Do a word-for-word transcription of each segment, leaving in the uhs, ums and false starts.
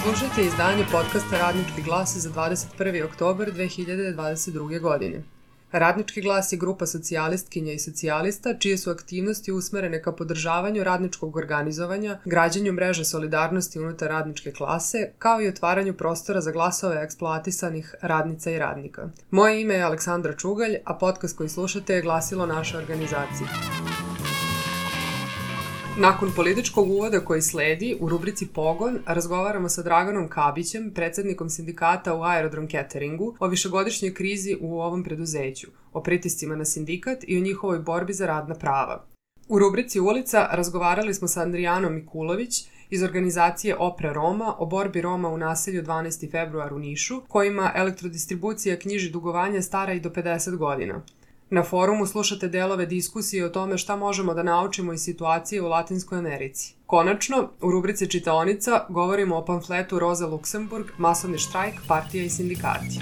Slušajte izdanje podcasta Radnički glas za dvadeset prvi oktobar dve hiljade dvadeset druge. godine. Radnički glas je grupa socijalistkinja i socijalista čije su aktivnosti usmerene ka podržavanju radničkog organizovanja, građenju mreže solidarnosti unutar radničke klase, kao i otvaranju prostora za glasove eksploatisanih radnica i radnika. Moje ime je Aleksandra Čugalj, a podcast koji slušate je glasilo naše organizacije. Nakon političkog uvoda koji sledi, u rubrici Pogon razgovaramo sa Draganom Kabićem, predsednikom sindikata u Aerodrom Cateringu, o višegodišnjoj krizi u ovom preduzeću, o pritiscima na sindikat i o njihovoj borbi za radna prava. U rubrici Ulica razgovarali smo sa Andrijanom Mikulović iz organizacije Opre Roma o borbi Roma u naselju dvanaesti februar u Nišu, kojima elektrodistribucija knjiži dugovanja stara i do pedeset godina. Na forumu slušate delove diskusije o tome šta možemo da naučimo iz situacije u Latinskoj Americi. Konačno, u rubrici Čitaonica govorimo o pamfletu Roza Luksemburg, masovni štrajk, partija i sindikati.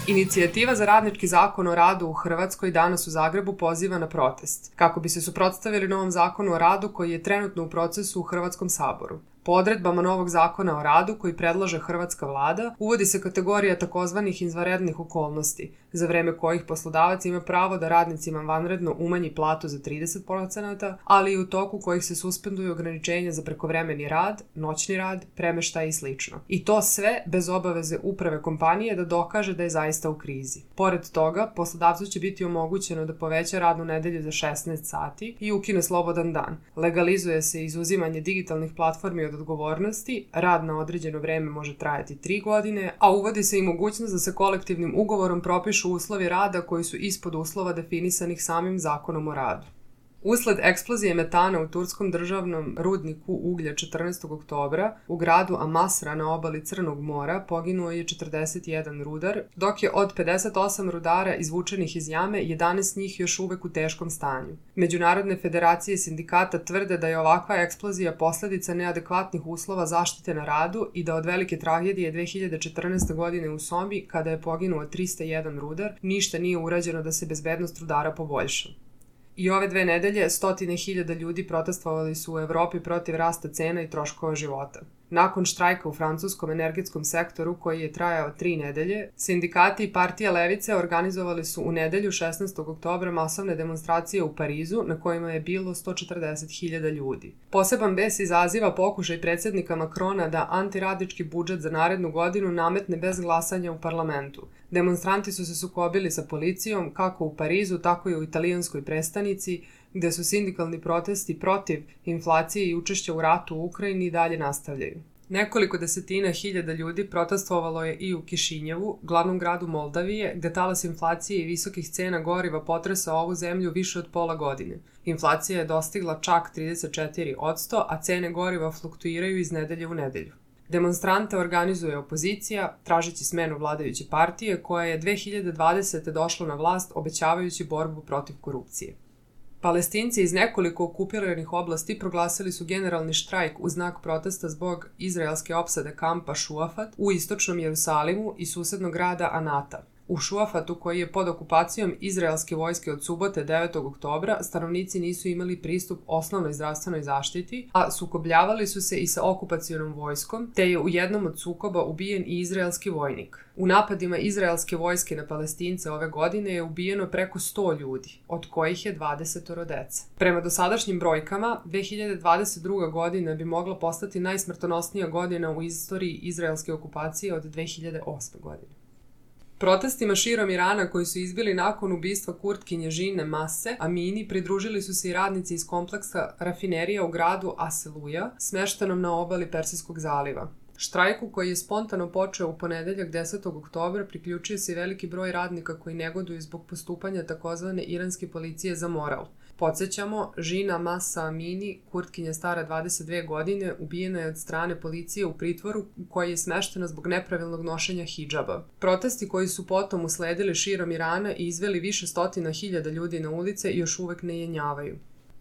Inicijativa za radnički zakon o radu u Hrvatskoj danas u Zagrebu poziva na protest, kako bi se suprotstavili novom zakonu o radu koji je trenutno u procesu u Hrvatskom saboru. Po odredbama novog zakona o radu koji predlaže hrvatska vlada, uvodi se kategorija takozvanih izvanrednih okolnosti, za vreme kojih poslodavac ima pravo da radnicima vanredno umanji platu za trideset posto, ali i u toku kojih se suspenduju ograničenja za prekovremeni rad, noćni rad, premeštaj i sl. I to sve bez obaveze uprave kompanije da dokaže da je zaista u krizi. Pored toga, poslodavcu će biti omogućeno da poveća radnu nedelju za šesnaest sati i ukine slobodan dan. Legalizuje se izuzimanje digitalnih platformi od odgovornosti, rad na određeno vreme može trajati tri godine, a uvodi se i mogućnost da se kolektivnim ugovorom propišu uslovi rada koji su ispod uslova definisanih samim zakonom o radu. Usled eksplozije metana u turskom državnom rudniku uglja četrnaestog oktobra u gradu Amasra na obali Crnog mora poginuo je četrdeset jedan rudar, dok je od pedeset osam rudara izvučenih iz jame jedanaest njih još uvek u teškom stanju. Međunarodne federacije sindikata tvrde da je ovakva eksplozija posledica neadekvatnih uslova zaštite na radu i da od velike tragedije dve hiljade četrnaeste. godine u Sombi, kada je poginuo trista jedan rudar, ništa nije urađeno da se bezbednost rudara poboljša. I ove dve nedelje stotine hiljada ljudi protestovali su u Evropi protiv rasta cena i troškova života. Nakon štrajka u francuskom energetskom sektoru koji je trajao tri nedelje, sindikati i partija levice organizovali su u nedelju šesnaestog oktobra masovne demonstracije u Parizu na kojima je bilo sto četrdeset hiljada ljudi. Poseban bes izaziva pokušaj predsednika Makrona da antiradnički budžet za narednu godinu nametne bez glasanja u parlamentu. Demonstranti su se sukobili sa policijom kako u Parizu, tako i u italijanskoj prestonici, gde su sindikalni protesti protiv inflacije i učešća u ratu u Ukrajini i dalje nastavljaju. Nekoliko desetina hiljada ljudi protestovalo je i u Kišinjevu, glavnom gradu Moldavije, gde talas inflacije i visokih cena goriva potresao ovu zemlju više od pola godine. Inflacija je dostigla čak trideset četiri posto, a cene goriva fluktuiraju iz nedelje u nedelju. Demonstrante organizuje opozicija, tražeći smenu vladajuće partije, koja je dve hiljade dvadesete. došla na vlast obećavajući borbu protiv korupcije. Palestinci iz nekoliko okupiranih oblasti proglasili su generalni štrajk u znak protesta zbog izraelske opsade kampa Šuafat u istočnom Jerusalimu i susednog grada Anata. U Šuafatu, koji je pod okupacijom izraelske vojske od subote devetog oktobra, stanovnici nisu imali pristup osnovnoj zdravstvenoj zaštiti, a sukobljavali su se i sa okupacionom vojskom, te je u jednom od sukoba ubijen i izraelski vojnik. U napadima izraelske vojske na Palestince ove godine je ubijeno preko sto ljudi, od kojih je dvadeset dece. Prema dosadašnjim brojkama, dve hiljade dvadeset druga. godina bi mogla postati najsmrtonosnija godina u istoriji izraelske okupacije od dve hiljade osme. godine. Protestima širom Irana koji su izbili nakon ubistva Kurtkinje Žine Mase Amini pridružili su se i radnici iz kompleksa rafinerija u gradu Aseluja, smeštenom na obali Persijskog zaliva. Štrajku koji je spontano počeo u ponedeljak desetog oktobra priključio se i veliki broj radnika koji negoduju zbog postupanja takozvane iranske policije za moral. Podsjećamo, Žina Masa Amini, Kurtkinja stara dvadeset dve godine, ubijena je od strane policije u pritvoru koja je smeštena zbog nepravilnog nošenja hidžaba. Protesti koji su potom usledili širom Irana i izveli više stotina hiljada ljudi na ulice još uvek ne jenjavaju.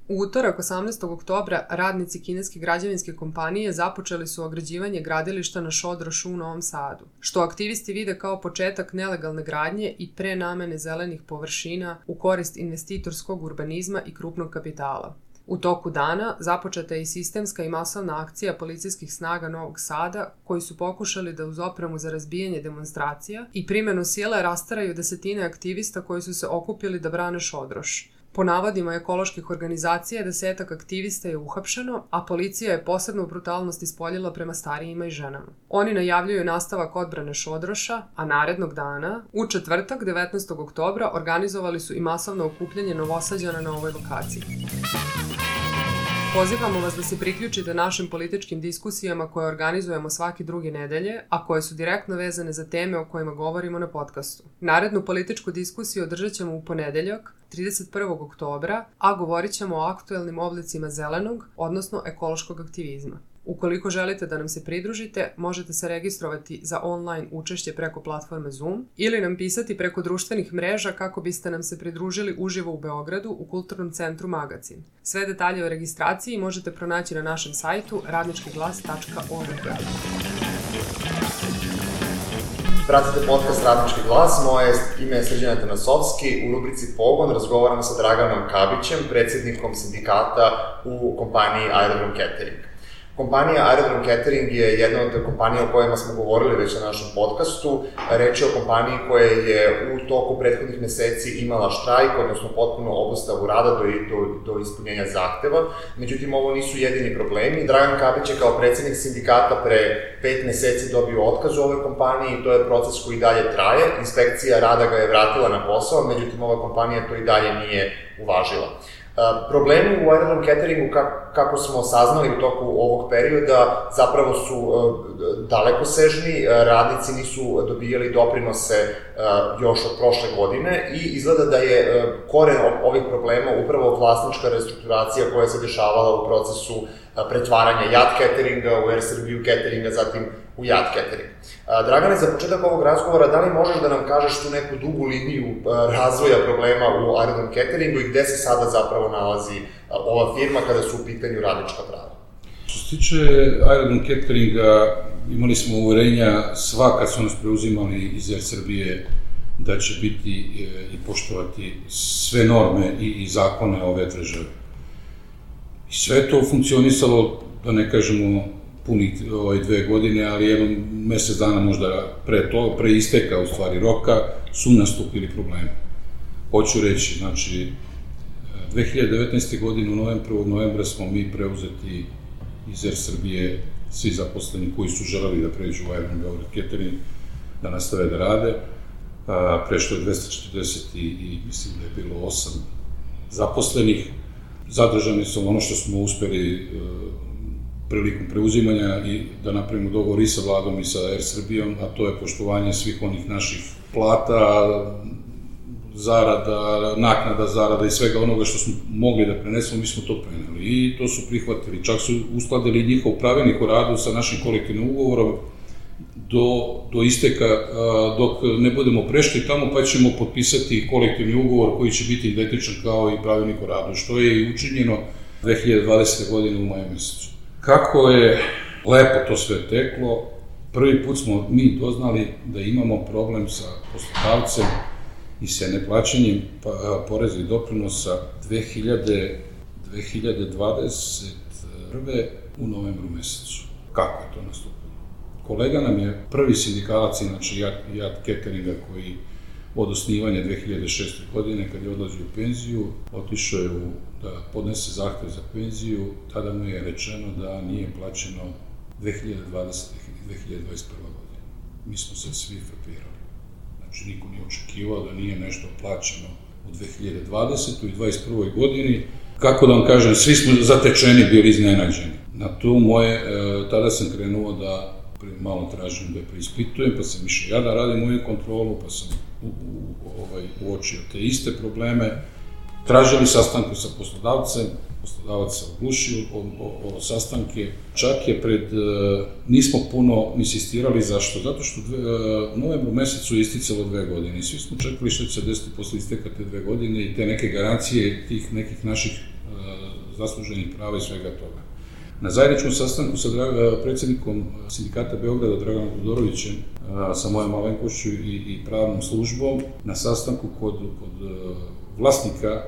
U utorak osamnaestog oktobra radnici kineske građevinske kompanije započeli su ograđivanje gradilišta na Šodrošu u Novom Sadu, što aktivisti vide kao početak nelegalne gradnje i prenamene zelenih površina u korist investitorskog urbanizma i krupnog kapitala. U toku dana započeta je i sistemska i masovna akcija policijskih snaga Novog Sada, koji su pokušali da uz opremu za razbijanje demonstracija i primjenu sile rastaraju desetine aktivista koji su se okupili da brane Šodroš. Po navodima ekoloških organizacija, desetak aktivista je uhapšeno, a policija je posebnu brutalnost ispoljila prema starijima i ženama. Oni najavljuju nastavak odbrane Šodroša, a narednog dana, u četvrtak, devetnaestog oktobra, organizovali su i masovno okupljanje Novosađana na ovoj lokaciji. Pozivamo vas da se priključite našim političkim diskusijama koje organizujemo svake druge nedelje, a koje su direktno vezane za teme o kojima govorimo na podcastu. Narednu političku diskusiju održat ćemo u ponedeljak, trideset prvog oktobra, a govorit ćemo o aktuelnim oblicima zelenog, odnosno ekološkog aktivizma. Ukoliko želite da nam se pridružite, možete se registrovati za online učešće preko platforme Zoom ili nam pisati preko društvenih mreža kako biste nam se pridružili uživo u Beogradu u Kulturnom centru Magacin. Sve detalje o registraciji možete pronaći na našem sajtu radnički glas tačka org. Pratite podcast Radnički glas, moje ime je Srđan Atanasovski. U rubrici Pogon razgovaramo sa Draganom Kabićem, predsjednikom sindikata u kompaniji Aerodrom Catering. Kompanija Aerodrom Catering je jedna od kompanija o kojima smo govorili već na našem podcastu. Reč je o kompaniji koja je u toku prethodnih meseci imala štrajk, odnosno potpuno obustavu rada do, do, do ispunjenja zahteva. Međutim, ovo nisu jedini problemi. Dragan Kabić je kao predsjednik sindikata pre pet meseci dobio otkaz u ovoj kompaniji i to je proces koji dalje traje. Inspekcija rada ga je vratila na posao, međutim, ova kompanija to i dalje nije uvažila. Problemi u Aerodrom Cateringu, kako smo saznali u toku ovog perioda, zapravo su dalekosežni, radnici nisu dobijali doprinose još od prošle godine i izgleda da je koren ovih problema upravo vlasnička restrukturacija koja se dešavala u procesu pretvaranja Jat Cateringa u Air Srbiju Cateringa, zatim u Jat Catering. Dragane, za početak ovog razgovora, da li možeš da nam kažeš tu neku dugu liniju razvoja problema u Aerodrom Cateringu i gde se sada zapravo nalazi ova firma kada su u pitanju radnička prava? Što se tiče Aerodrom Cateringa, imali smo uverenja sva kad su nas preuzimali iz Air Srbije da će biti i poštovati sve norme i zakone ove države. I sve to funkcionisalo, da ne kažemo punih ove dve godine, ali jedno mesec dana možda pre to, pre isteka u stvari roka, su nastupili problemi. Hoću reći, znači, dve hiljade devetnaeste. godine u novembru, prvog novembra smo mi preuzeti iz Air Srbije, svi zaposleni koji su želeli da pređu u Aerodrom Beograd Catering, da nastave da rade. Prešlo je dvesta četrdeset i, i mislim da je bilo osam zaposlenih. Zadržani su ono što smo uspeli prilikom preuzimanja i da napravimo dogovor i sa vladom i sa Air Srbijom, a to je poštovanje svih onih naših plata, zarada, naknada zarada i svega onoga što smo mogli da prenesemo, mi smo to preneli i to su prihvatili. Čak su uskladili njihov pravilnik o radu sa našim kolektivnim ugovorom do, do isteka, dok ne budemo prešli tamo, pa ćemo potpisati kolektivni ugovor koji će biti identičan kao i pravilnik o radu, što je i učinjeno dve hiljade dvadesete. godine u maju mesecu. Kako je lepo to sve teklo, prvi put smo mi doznali da imamo problem sa poslodavcem i sa neplaćanjem poreza i doprinosa dve hiljade dvadeset prve. u novembru mesecu. Kako je to nastupilo? Kolega nam je prvi sindikalac, znači Jat Cateringa, koji od osnivanja dve hiljade šeste. godine, kad je odlazio u penziju, otišao je da podnese zahtev za penziju, tada mu je rečeno da nije plaćeno dve hiljade dvadesete. i dve hiljade dvadeset prve. godine. Mi smo se svi frapirali. Znači, niko nije očekivao da nije nešto plaćeno u dve hiljade dvadesetoj. i dvadeset prvoj. godini. Kako da vam kažem, svi smo zatečeni bili iznenađeni. Na to moje, tada sam krenuo da malo tražim da preispitujem, pa sam išao ja da radim moju kontrolu, pa sam u, u, ovaj, uočio te iste probleme. Tražili sastanke sa poslodavcem, poslodavac se oglušio o, o, o sastanke. Čak je pred, nismo puno insistirali, zašto? Zato što dve, u novembru mesecu je isticalo dve godine i svi smo čekali što će se desiti posle isteka te dve godine i te neke garancije tih nekih naših uh, zasluženih prava i svega toga. Na zajedničkom sastanku sa predsjednikom sindikata Beograda, Draganom Todorovićem, sa mojom malenkošću i, i pravnom službom, na sastanku kod, kod vlasnika,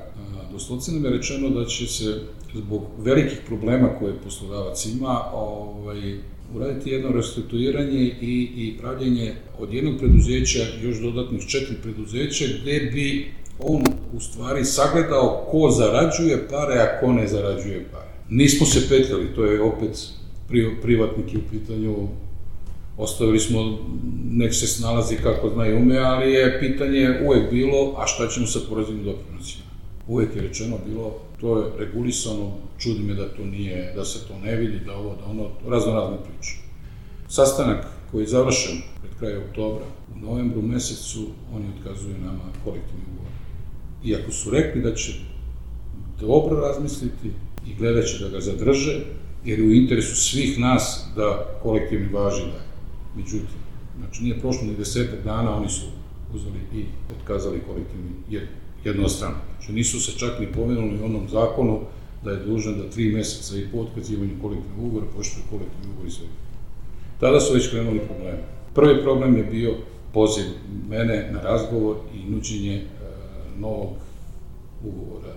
doslovce nam je rečeno da će se zbog velikih problema koje poslodavac ima, ovaj, uraditi jedno restrukturiranje i, i pravljenje od jednog preduzeća još dodatnih četiri preduzeća gde bi on u stvari sagledao ko zarađuje pare, a ko ne zarađuje pare. Nismo se petljali, to je opet privatnik u pitanju, ostavili smo, nek se snalazi kako zna i ume, ali je pitanje uvek bilo, a šta ćemo sa poreznim doprinosima? Uvek je rečeno bilo, to je regulisano, čudi me da to nije, da se to ne vidi, da ovo, da ono, razno razne priče. Sastanak koji je završen pred kraja oktobra, u novembru mesecu, oni otkazuju nama kolektivni ugovor. Iako su rekli da će dobro razmisliti i gledat će da ga zadrže, jer je u interesu svih nas da kolektivni važi dalje. Međutim, znači nije prošlo ni desetak dana, oni su uzeli i otkazali kolektivni jednostrano. Znači nisu se čak ni pomenuli u onom zakonu da je dužan da tri meseca i po otkazivanju kolektivnog ugovora poštuje kolektivni ugovor i sve. Tada su već krenuli probleme. Prvi problem je bio poziv mene na razgovor i nuđenje e, novog ugovora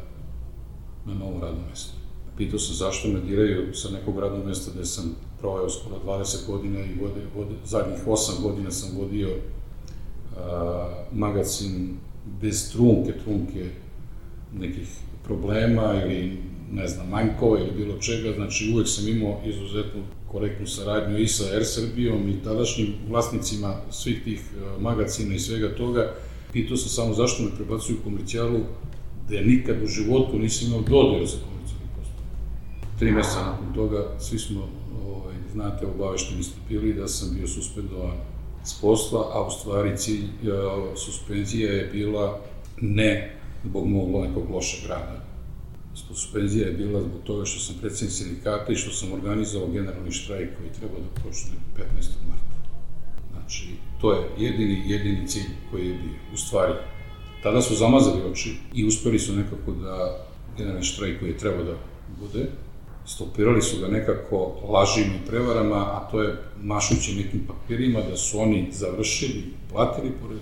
na novom radnom mestu. Pitao sam zašto me diraju sa nekog radnog mesta gde sam proveo skoro dvadeset godina i vode, vode, zadnjih osam godina sam vodio a, magazin bez trunke, trunke nekih problema ili ne znam, manjkova ili bilo čega, znači uvek sam imao izuzetnu korektnu saradnju i sa Er Srbijom i tadašnjim vlasnicima svih tih magazina i svega toga. Pitao sam samo zašto me prebacuju u komercijalu gde nikad u životu nisam imao dodira za komercijalni postupak. Tri meseca nakon toga svi smo, ovaj, znate, obavešteni ste bili da sam bio suspendovan s posla, a u stvari cilj suspenzija je bila ne zbog mog nekog lošeg rada. Suspenzija je bila zbog toga što sam predsednik sindikata i što sam organizovao generalni štrajk koji treba da počne petnaestog marta. Znači, to je jedini, jedini cilj koji je bio. U stvari, tada su zamazali oči i uspeli su nekako da generalni štrajk koji je trebao da bude, stopirali su ga nekako lažima i prevarama, a to je mašući nekim papirima da su oni završili, platili porez,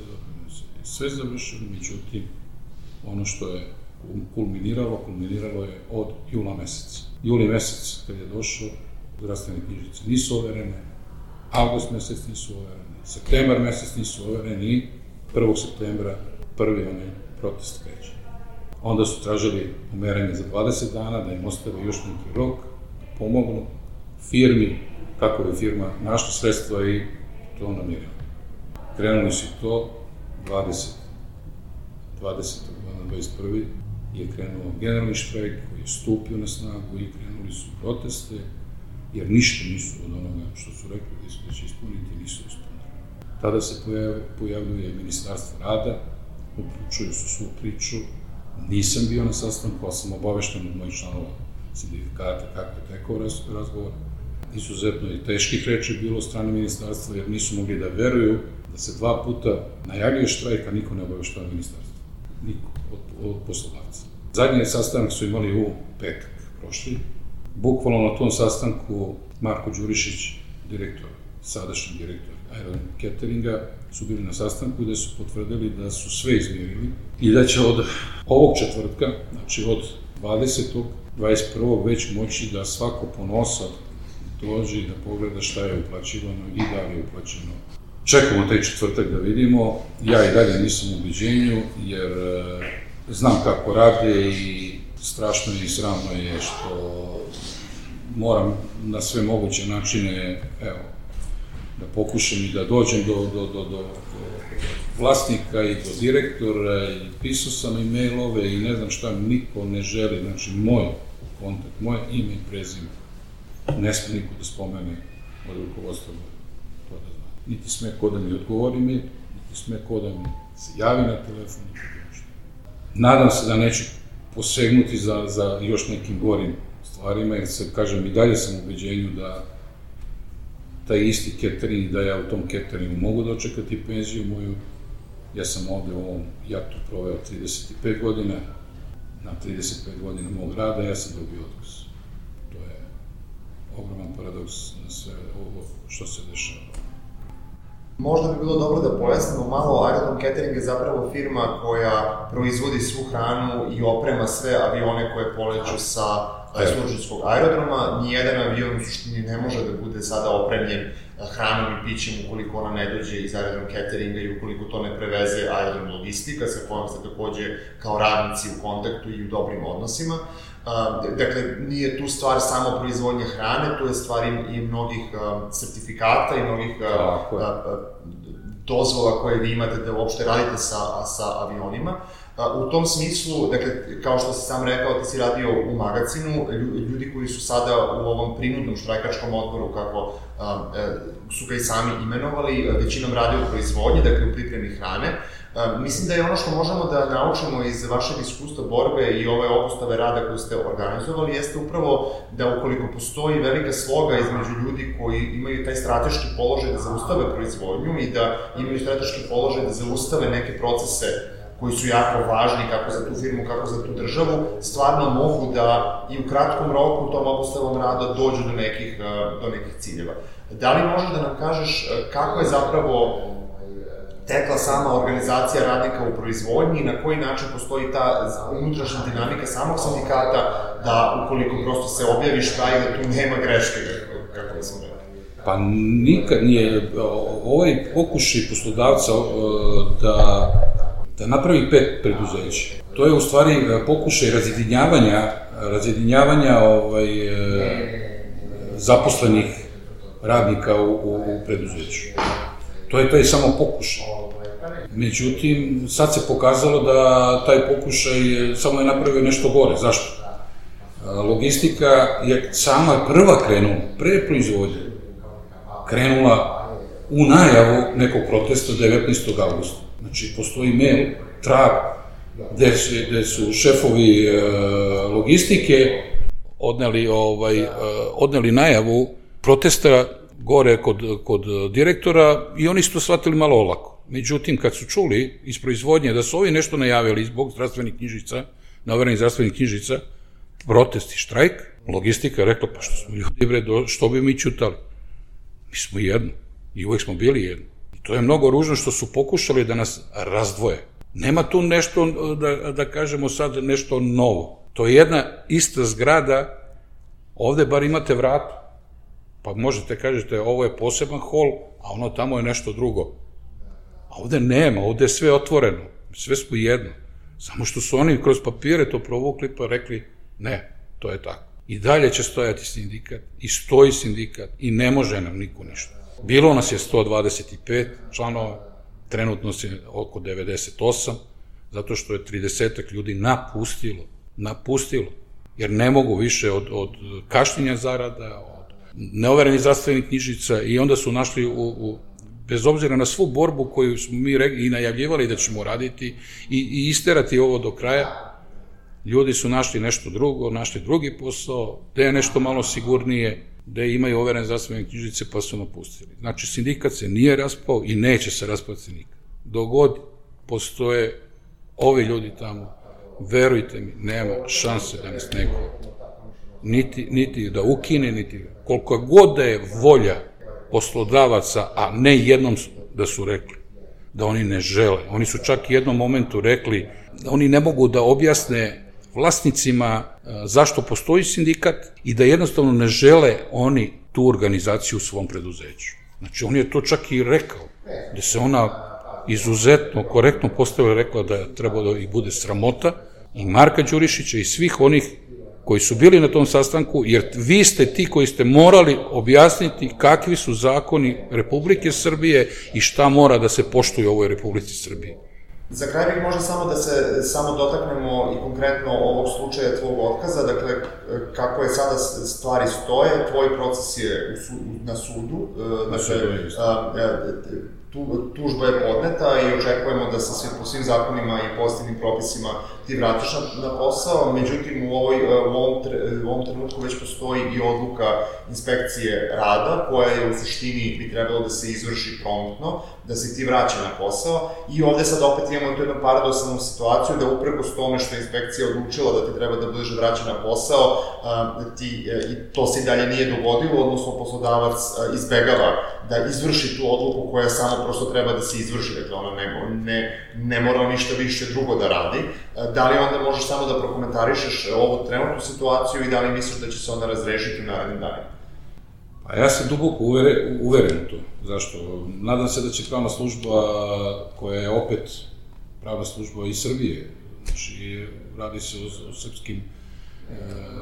sve završili, međutim, ono što je kulminiralo, kulminiralo je od jula meseca. Juli mesec, kad je došao, zdravstvene knjižice nisu overene, avgust mesec nisu overene, septembar mesec nisu overene i prvog septembra prvi onaj protest kreće. Onda su tražili umeranje za dvadeset dana, da im ostave još neki rok, da pomognu firmi, kako je firma našla sredstva i to namirila. Krenuli su to, dvadesetog na dvadeset prvi je krenuo generalni štrajk koji je stupio na snagu i krenuli su proteste, jer ništa nisu od onoga što su rekli da će ispuniti, nisu ispunili. Tada se pojavljuje Ministarstvo rada, uključuju su svu priču, nisam bio na sastanku, ali sam obavešten od mojih članova sindikata kako je tekao razgovor. Izuzetno je teških reči bilo od strane ministarstva, jer nisu mogli da veruju da se dva puta najavljuje štrajk, a niko ne obaveštava ministarstvo. Niko od, od poslodavca. Zadnji sastanak su imali u petak prošli. Bukvalno na tom sastanku Marko Đurišić, direktor, sadašnji direktor Aerodrom Cateringa, su bili na sastanku gde su potvrdili da su sve izmirili i da će od ovog četvrtka, znači od dvadesetog, dvadeset prvog već moći da svako ponosa dođe i da pogleda šta je uplaćivano i da li je uplaćeno. Čekamo taj četvrtak da vidimo, ja i dalje nisam u ubeđenju, jer e, znam kako rade i strašno i sramno je što moram na sve moguće načine, evo, da pokušam i da dođem do, do, do, do, do vlasnika i do direktora i pisao sam i mailove i ne znam šta, niko ne želi, znači moj kontakt, moje ime i prezime, ne sme niko da spomene od rukovodstva to da zna. Niti sme ko da mi odgovori mi, niti sme ko da mi se javi na telefon, niti bilo što. Nadam se da neću posegnuti za, za još nekim gorim stvarima, jer se, kažem, i dalje sam u ubeđenju da taj isti catering, da ja u tom cateringu mogu dočekati penziju moju. Ja sam ovde u ovom jatu proveo trideset pet godina, na trideset pet godina mog rada ja sam dobio otkaz. To je ogroman paradoks na sve ovo što se dešava. Možda bi bilo dobro da pojasnimo malo, Aerodrom Catering je zapravo firma koja proizvodi svu hranu i oprema sve avione koje poleću sa Surčinskog aerodroma. Nijedan avion u suštini ne može da bude sada opremljen hranom i pićem ukoliko ona ne dođe iz aerodrom cateringa i ukoliko to ne preveze aerodrom logistika, sa kojom ste takođe kao radnici u kontaktu i u dobrim odnosima. Dakle, nije tu stvar samo proizvodnje hrane, tu je stvar i mnogih sertifikata i mnogih dozvola koje vi imate da uopšte radite sa avionima. U tom smislu, dakle, kao što si sam rekao, ti si radio u magazinu, ljudi koji su sada u ovom prinudnom štrajkačkom odboru, kako su ga i sami imenovali, većinom rade u proizvodnji, dakle u pripremi hrane. Mislim da je ono što možemo da naučimo iz vašeg iskustva borbe i ove obustave rada koju ste organizovali, jeste upravo da ukoliko postoji velika sloga između ljudi koji imaju taj strateški položaj da zaustave proizvodnju i da imaju strateški položaj da zaustave neke procese koji su jako važni kako za tu firmu, kako za tu državu, stvarno mogu da i u kratkom roku tom obustavom rada dođu do nekih, do nekih ciljeva. Da li možeš da nam kažeš kako je zapravo tekla sama organizacija radnika u proizvodnji i na koji način postoji ta unutrašnja dinamika samog sindikata da ukoliko prosto se objavi štrajk da tu nema greške, kako da sam rekao? Pa nikad nije, ovaj pokušaj poslodavca da da napravi pet preduzeća. To je u stvari pokušaj razjedinjavanja, razjedinjavanja ovaj, zaposlenih radnika u, u, u preduzeću. To je, to je samo pokušaj. Međutim, sad se pokazalo da taj pokušaj samo je napravio nešto gore. Zašto? Logistika je sama prva krenula, pre proizvodnje, krenula u najavu nekog protesta devetnaestog avgusta. Znači, postoji mail, trag, gde su šefovi logistike odneli najavu protesta gore kod direktora i oni su to shvatili malo olako. Međutim, kad su čuli iz proizvodnje da su ovi nešto najavili zbog zdravstvenih knjižica, naverenih zdravstvenih knjižica, protest i štrajk, logistika je rekla, pa što smo ljudi, bre, što bi mi ćutali? Mi smo jedno i uvek smo bili jedno. To je mnogo ružno što su pokušali da nas razdvoje. Nema tu nešto, da, da kažemo sad, nešto novo. To je jedna ista zgrada, ovde bar imate vrata. Pa možete, kažete, ovo je poseban hol, a ono tamo je nešto drugo. A ovde nema, ovde je sve otvoreno. Sve smo jedno. Samo što su oni kroz papire to provukli pa rekli, ne, to je tako. I dalje će stojati sindikat, i stoji sindikat, i ne može nam niko ništa. Bilo nas je sto dvadeset pet članova, trenutno je oko devedeset osam, zato što je tridesetak ljudi napustilo, napustilo, jer ne mogu više od, od kašnjenja zarada, od neoverenih zdravstvenih knjižica i onda su našli, u, u, bez obzira na svu borbu koju smo mi i najavljivali da ćemo raditi i, i isterati ovo do kraja, ljudi su našli nešto drugo, našli drugi posao, gde je nešto malo sigurnije, gde imaju overene zdravstvene knjižice pa su napustili. Znači, sindikat se nije raspao i neće se raspati nikad. Dok god postoje ovi ljudi tamo, verujte mi, nema šanse da nas neko niti, niti da ukine, niti koliko god da je volja poslodavaca, a ne jednom da su rekli da oni ne žele. Oni su čak jednom momentu rekli da oni ne mogu da objasne vlasnicima zašto postoji sindikat i da jednostavno ne žele oni tu organizaciju u svom preduzeću. Znači, on je to čak i rekao, da se ona izuzetno, korektno postavila, rekla da treba da ih bude sramota i Marka Đurišića i svih onih koji su bili na tom sastanku, jer vi ste ti koji ste morali objasniti kakvi su zakoni Republike Srbije i šta mora da se poštuje u ovoj Republici Srbiji. Za kraj bih možda samo da se samo dotaknemo i konkretno ovog slučaja tvojeg otkaza, dakle, kako je sada stvari stoje, tvoj proces je na sudu, tužba je podneta i očekujemo da se po svim zakonima i pozitivnim propisima ti vratiš na posao, međutim u ovom trenutku već postoji i odluka inspekcije rada, koja je u suštini bi trebalo da se izvrši promptno, da se ti vraća na posao i ovde sad opet imamo tu jednu paradoksalnu situaciju da uprkos tome što je inspekcija odlučila da ti treba da budeš vraćan na posao, to se i dalje nije dogodilo, odnosno poslodavac izbegava da izvrši tu odluku koja je samo kazna prosto treba da se izvrši, dakle ona ne, ne, ne mora ništa više drugo da radi. Da li onda možeš samo da prokomentarišeš ovu trenutnu situaciju i da li misliš da će se ona razrešiti u narednim danima? Pa ja sam duboko uveren, uveren u to. Zašto? Nadam se da će pravna služba, koja je opet pravna služba iz Srbije, znači radi se o, o srpskim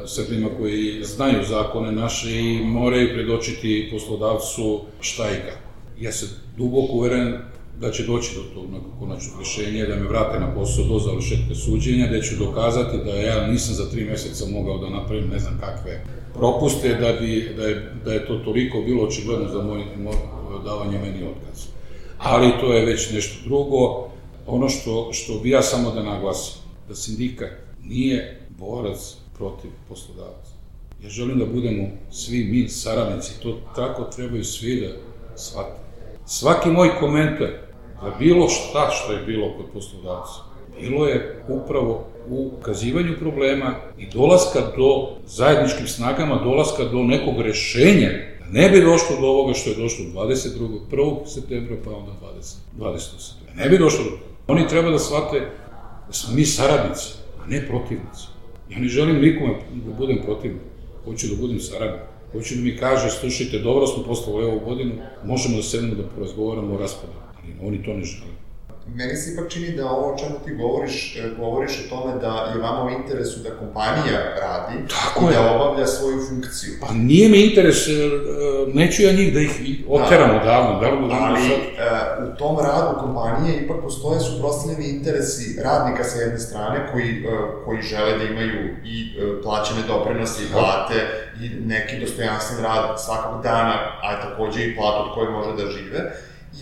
Srbima koji znaju zakone naše i moraju predočiti poslodavcu šta i kako. Ja sam duboko uveren da će doći do tog konačnog rješenja, da me vrate na posao do završetka suđenja, da ću dokazati da ja nisam za tri meseca mogao da napravim ne znam kakve propuste, da, bi, da, je, da je to toliko bilo očigledno za moj, moj davanje meni otkaz. Ali to je već nešto drugo. Ono što, što bi ja samo da naglasim, da sindikat nije borac protiv poslodavaca. Ja želim da budemo svi mi saradnici, to tako trebaju svi da shvate. Svaki moj komentar za bilo šta što je bilo kod poslodavca, bilo je upravo u ukazivanju problema i dolaska do zajedničkim snagama, dolaska do nekog rešenja, da ne bi došlo do ovoga što je došlo dvadeset drugog prvog septembra, pa onda dvadesetog septembra. Ne bi došlo do toga. Oni treba da shvate da smo mi saradnici, a ne protivnici. Ja ne želim nikome da budem protivnik, hoću da budem saradnik. Hoću da mi kaže, slušajte, dobro smo poslali ovu godinu, možemo da sedemo da porazgovaramo o raspadu, ali oni to ne žele. Meni se ipak čini da ovo o čemu ti govoriš, govoriš o tome da je vama u interesu da kompanija radi i da obavlja svoju funkciju. Pa nije mi interes, neću ja njih da ih oteram odavno. Ali u tom radu kompanije ipak postoje suprotstavljeni interesi radnika sa jedne strane koji žele da imaju i plaćene doprinose i plate i neki dostojanstven rad svakog dana, a takođe i platu od koje može da žive,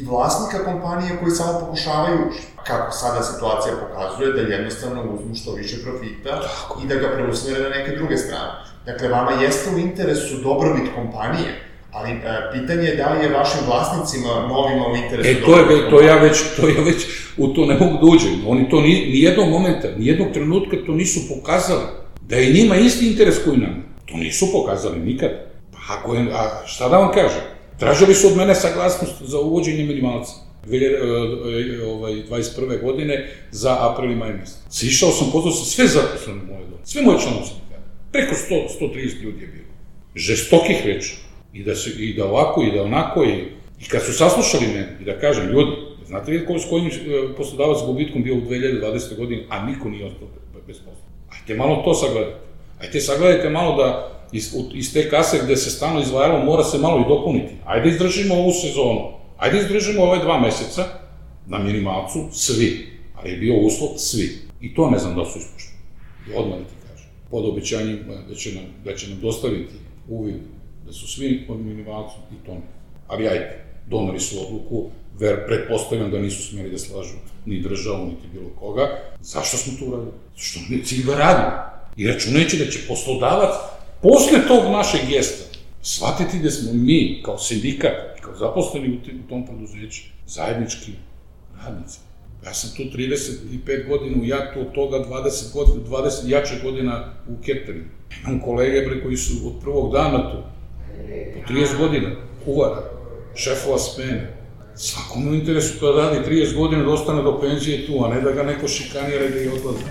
i vlasnika kompanije koji samo pokušavaju, kako sada situacija pokazuje, da jednostavno uzmu što više profita i da ga preusmere na neke druge strane. Dakle, vama jeste u interesu dobrobit kompanije, ali e, pitanje je da li je vašim vlasnicima novima u interesu e, to je, to ja već, to ja već u to ne mogu da uđem. Oni to ni, ni jednog momenta, ni jednog trenutka to nisu pokazali. Da je njima isti interes koji nam. To nisu pokazali nikad. Pa ako je, a šta da vam kažem? Tražili su od mene saglasnost za uvođenje minimalca dvadeset prve godine za april i maj mesec. Sišao sam, pozvao sam sve zaposlene u moje dom, sve moje članove sindikata. Preko sto do sto trideset ljudi je bilo. Žestokih reči. I da, se, i da ovako, i da onako, i, i kad su saslušali mene, i da kažem, ljudi, znate li s kojim poslodavac s gubitkom bio u dve hiljade dvadesete godine, a niko nije ostao bez posla. Ajte malo to sagledajte. Ajte sagledajte malo da Iz, iz te kase gde se stalno izdvajalo mora se malo i dopuniti. Ajde izdržimo ovu sezonu, ajde izdržimo ove dva meseca na minimalcu, svi. Ali je bio uslov svi. I to ne znam da su ispoštovali. I odmah da ti kažem. Pod obećanjem da će nam, da će nam dostaviti uvid da su svi pod minimalcu i to ne. Ali ajde, doneli su odluku, ver, pretpostavljam da nisu smeli da slažu ni državu, niti bilo koga. Zašto smo to uradili? Što ne cilj da radimo. I računajući da će poslodavac posle tog našeg gesta, shvatiti da smo mi, kao sindikat, kao zaposleni u tom preduzeću, zajednički radnici. Ja sam tu trideset pet godina, ja tu od toga dvadeset, dvadeset jače godina u cateringu. Imam kolege bre, koji su od prvog dana tu, po trideset godina, kuvara, šefova smene. Svakom u interesu kada radi trideset godina da ostane do penzije tu, a ne da ga neko šikanira i da je odlazi.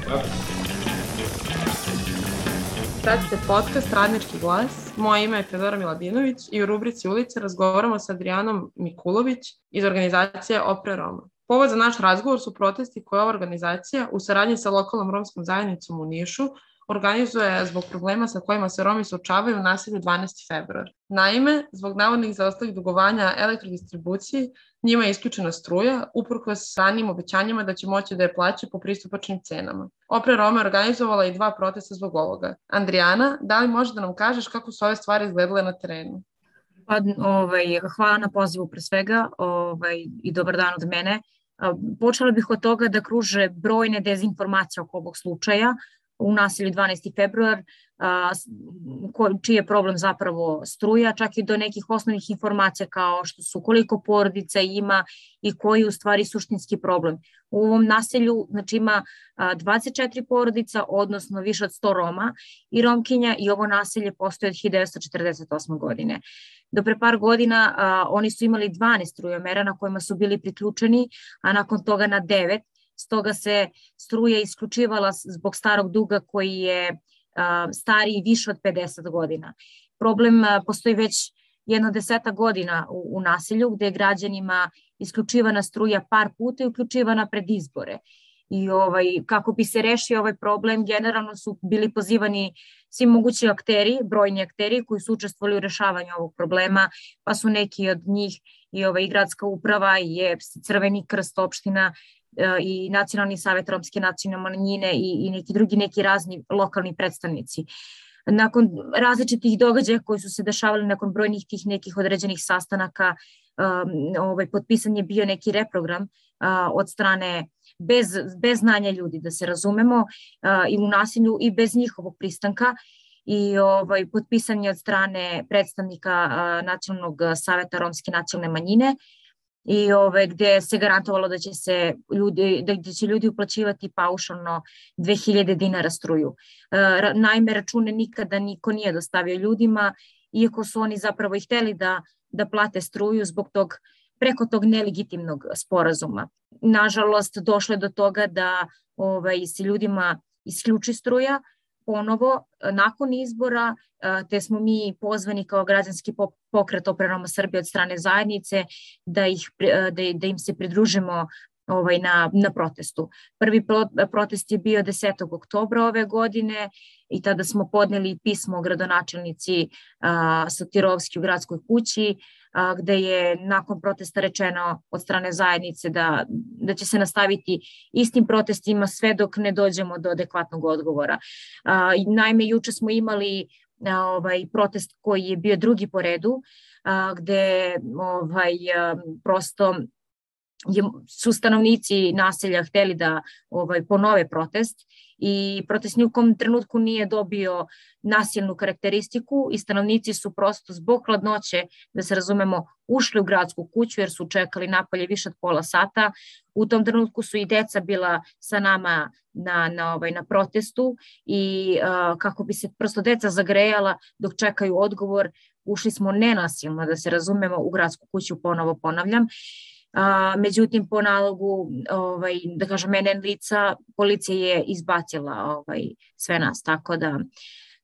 Pratite podcast Radnički glas. Moje ime je Teodora Milabinović i u rubrici Ulice razgovaramo sa Adrijanom Mikulović iz organizacije Opre Roma. Povod za naš razgovor su protesti koje ova organizacija u saradnji sa lokalnom romskom zajednicom u Nišu organizuje zbog problema sa kojima se Romi suočavaju u naselju dvanaesti februar. Naime, zbog navodnih zaostalih dugovanja elektrodistribuciji, njima je isključena struja, uprkos ranijim obećanjima da će moći da je plaće po pristupačnim cenama. Opre Roma je organizovala i dva protesta zbog ovoga. Andrijana, da li možeš da nam kažeš kako su ove stvari izgledale na terenu? Pa, ovaj, hvala na pozivu pre svega ovaj, i dobar dan od mene. Počela bih od toga da kruže brojne dezinformacije oko ovog slučaja. u naselju dvanaesti februar, čiji je problem zapravo struja, čak i do nekih osnovnih informacija kao što su koliko porodica ima i koji je u stvari suštinski problem. U ovom naselju znači, ima dvadeset četiri porodica, odnosno više od sto Roma i Romkinja i ovo naselje postoji od hiljadu devetsto četrdeset osme. godine. Do pre par godina a, oni su imali dvanaest strujomera na kojima su bili priključeni, a nakon toga na devet. Stoga se struja isključivala zbog starog duga koji je a, stariji više od pedeset godina. Problem a, postoji već jedno deseta godina u, u naselju gde je građanima isključivana struja par puta i uključivana pred izbore. I ovaj, kako bi se rešio ovaj problem, generalno su bili pozivani svi mogući akteri, brojni akteri koji su učestvovali u rešavanju ovog problema, pa su neki od njih i ovaj, gradska uprava, i E P S, Crveni krst opština, i Nacionalni savet romske nacionalne manjine i, i neki drugi neki razni lokalni predstavnici. Nakon različitih događaja koji su se dešavali nakon brojnih tih nekih određenih sastanaka, um, ovaj, potpisan je bio neki reprogram uh, od strane bez, bez znanja ljudi, da se razumemo, uh, i u nasilju i bez njihovog pristanka. I ovaj, potpisan je od strane predstavnika uh, Nacionalnog saveta romske nacionalne manjine i ove, gde se garantovalo da će se ljudi, da, da će ljudi uplaćivati paušalno dve hiljade dinara struju. E, naime, račune nikada niko nije dostavio ljudima, iako su oni zapravo i hteli da, da plate struju zbog tog, preko tog nelegitimnog sporazuma. Nažalost, došlo je do toga da ovaj, se ljudima isključi struja ponovo nakon izbora, te smo mi pozvani kao građanski pokret Opre Roma Srbije od strane zajednice da, ih, da, da im se pridružimo ovaj, na, na protestu. Prvi pro, protest je bio desetog oktobra ove godine i tada smo podneli pismo gradonačelnici a, Sotirovski u gradskoj kući, a, gde je nakon protesta rečeno od strane zajednice da, da će se nastaviti istim protestima sve dok ne dođemo do adekvatnog odgovora. A, naime, juče smo imali a, ovaj, protest koji je bio drugi po redu, a, gde ovaj, a, prosto su stanovnici naselja hteli da ovaj, ponove protest i protest ni u kom trenutku nije dobio nasilnu karakteristiku i stanovnici su prosto zbog hladnoće, da se razumemo, ušli u gradsku kuću jer su čekali napolje više od pola sata. U tom trenutku su i deca bila sa nama na, na, ovaj, na protestu i uh, kako bi se prosto deca zagrejala dok čekaju odgovor, ušli smo nenasilno, da se razumemo, u gradsku kuću, ponovo ponavljam. A, međutim, po nalogu, ovaj, da kažem, N N lica, policija je izbacila ovaj, sve nas, tako da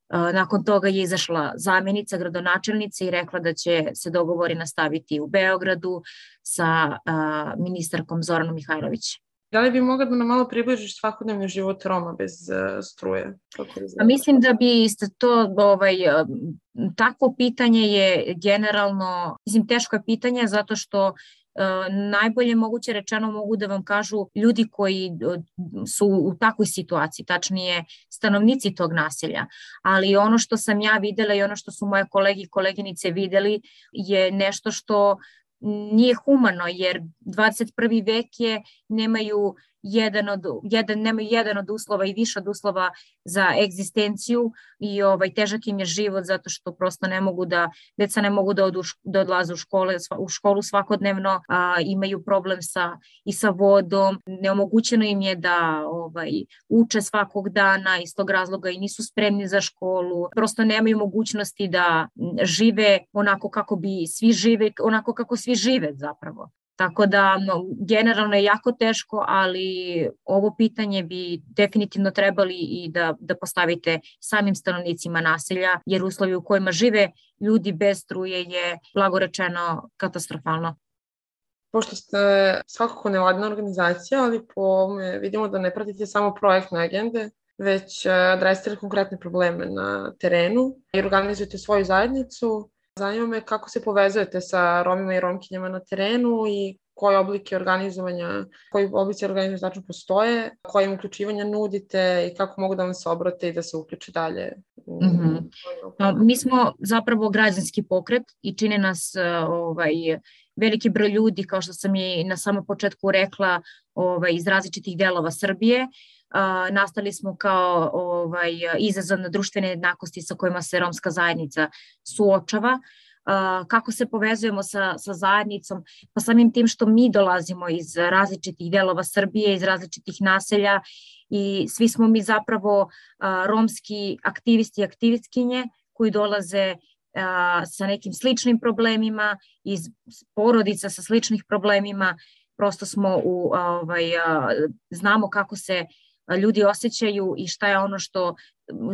a, nakon toga je izašla zamjenica gradonačelnice i rekla da će se dogovori nastaviti u Beogradu sa a, ministarkom Zoranom Mihajlović. Da li bi mogla da nam malo približiš svakodnevni život Roma bez uh, struje? A mislim da bi to, ovaj, takvo pitanje je generalno, mislim, teško je pitanje zato što Uh, najbolje moguće rečeno mogu da vam kažu ljudi koji uh, su u takvoj situaciji, tačnije stanovnici tog naselja, ali ono što sam ja videla i ono što su moje kolege i koleginice videli je nešto što nije humano, jer dvadeset prvi vek je, nemaju jedan od, jedan, nemaju jedan od uslova i više od uslova za egzistenciju i ovaj, težak im je život zato što prosto ne mogu da, deca ne mogu da, odu, da odlaze u, škole, u školu svakodnevno, a, imaju problem sa, i sa vodom, neomogućeno im je da ovaj, uče svakog dana, iz tog razloga i nisu spremni za školu, prosto nemaju mogućnosti da žive onako kako bi svi žive, onako kako svi žive zapravo. Tako da no, generalno je jako teško, ali ovo pitanje bi definitivno trebali i da, da postavite samim stanovnicima naselja, jer uslovi u kojima žive ljudi bez struje je, blago rečeno, katastrofalno. Pošto ste svakako nevladina organizacija, ali po ovome vidimo da ne pratite samo projektne agende, već adresirate konkretne probleme na terenu i organizujete svoju zajednicu. Zanima me kako se povezujete sa Romima i Romkinjama na terenu i koje oblike organizovanja, koji oblici organizovanja tačno postoje, koje im uključivanja nudite i kako mogu da vam se obrate i da se uključe dalje. Mm-hmm. Mi smo zapravo građanski pokret i čine nas ovaj, veliki broj ljudi, kao što sam i na samom početku rekla, ovaj, iz različitih delova Srbije. nastali smo kao ovaj, izazov na društvene jednakosti sa kojima se romska zajednica suočava. Kako se povezujemo sa, sa zajednicom? Pa samim tim što mi dolazimo iz različitih delova Srbije, iz različitih naselja i svi smo mi zapravo romski aktivisti i aktivistkinje koji dolaze sa nekim sličnim problemima, iz porodica sa sličnih problemima, prosto smo u, ovaj, znamo kako se ljudi osjećaju i šta je ono što,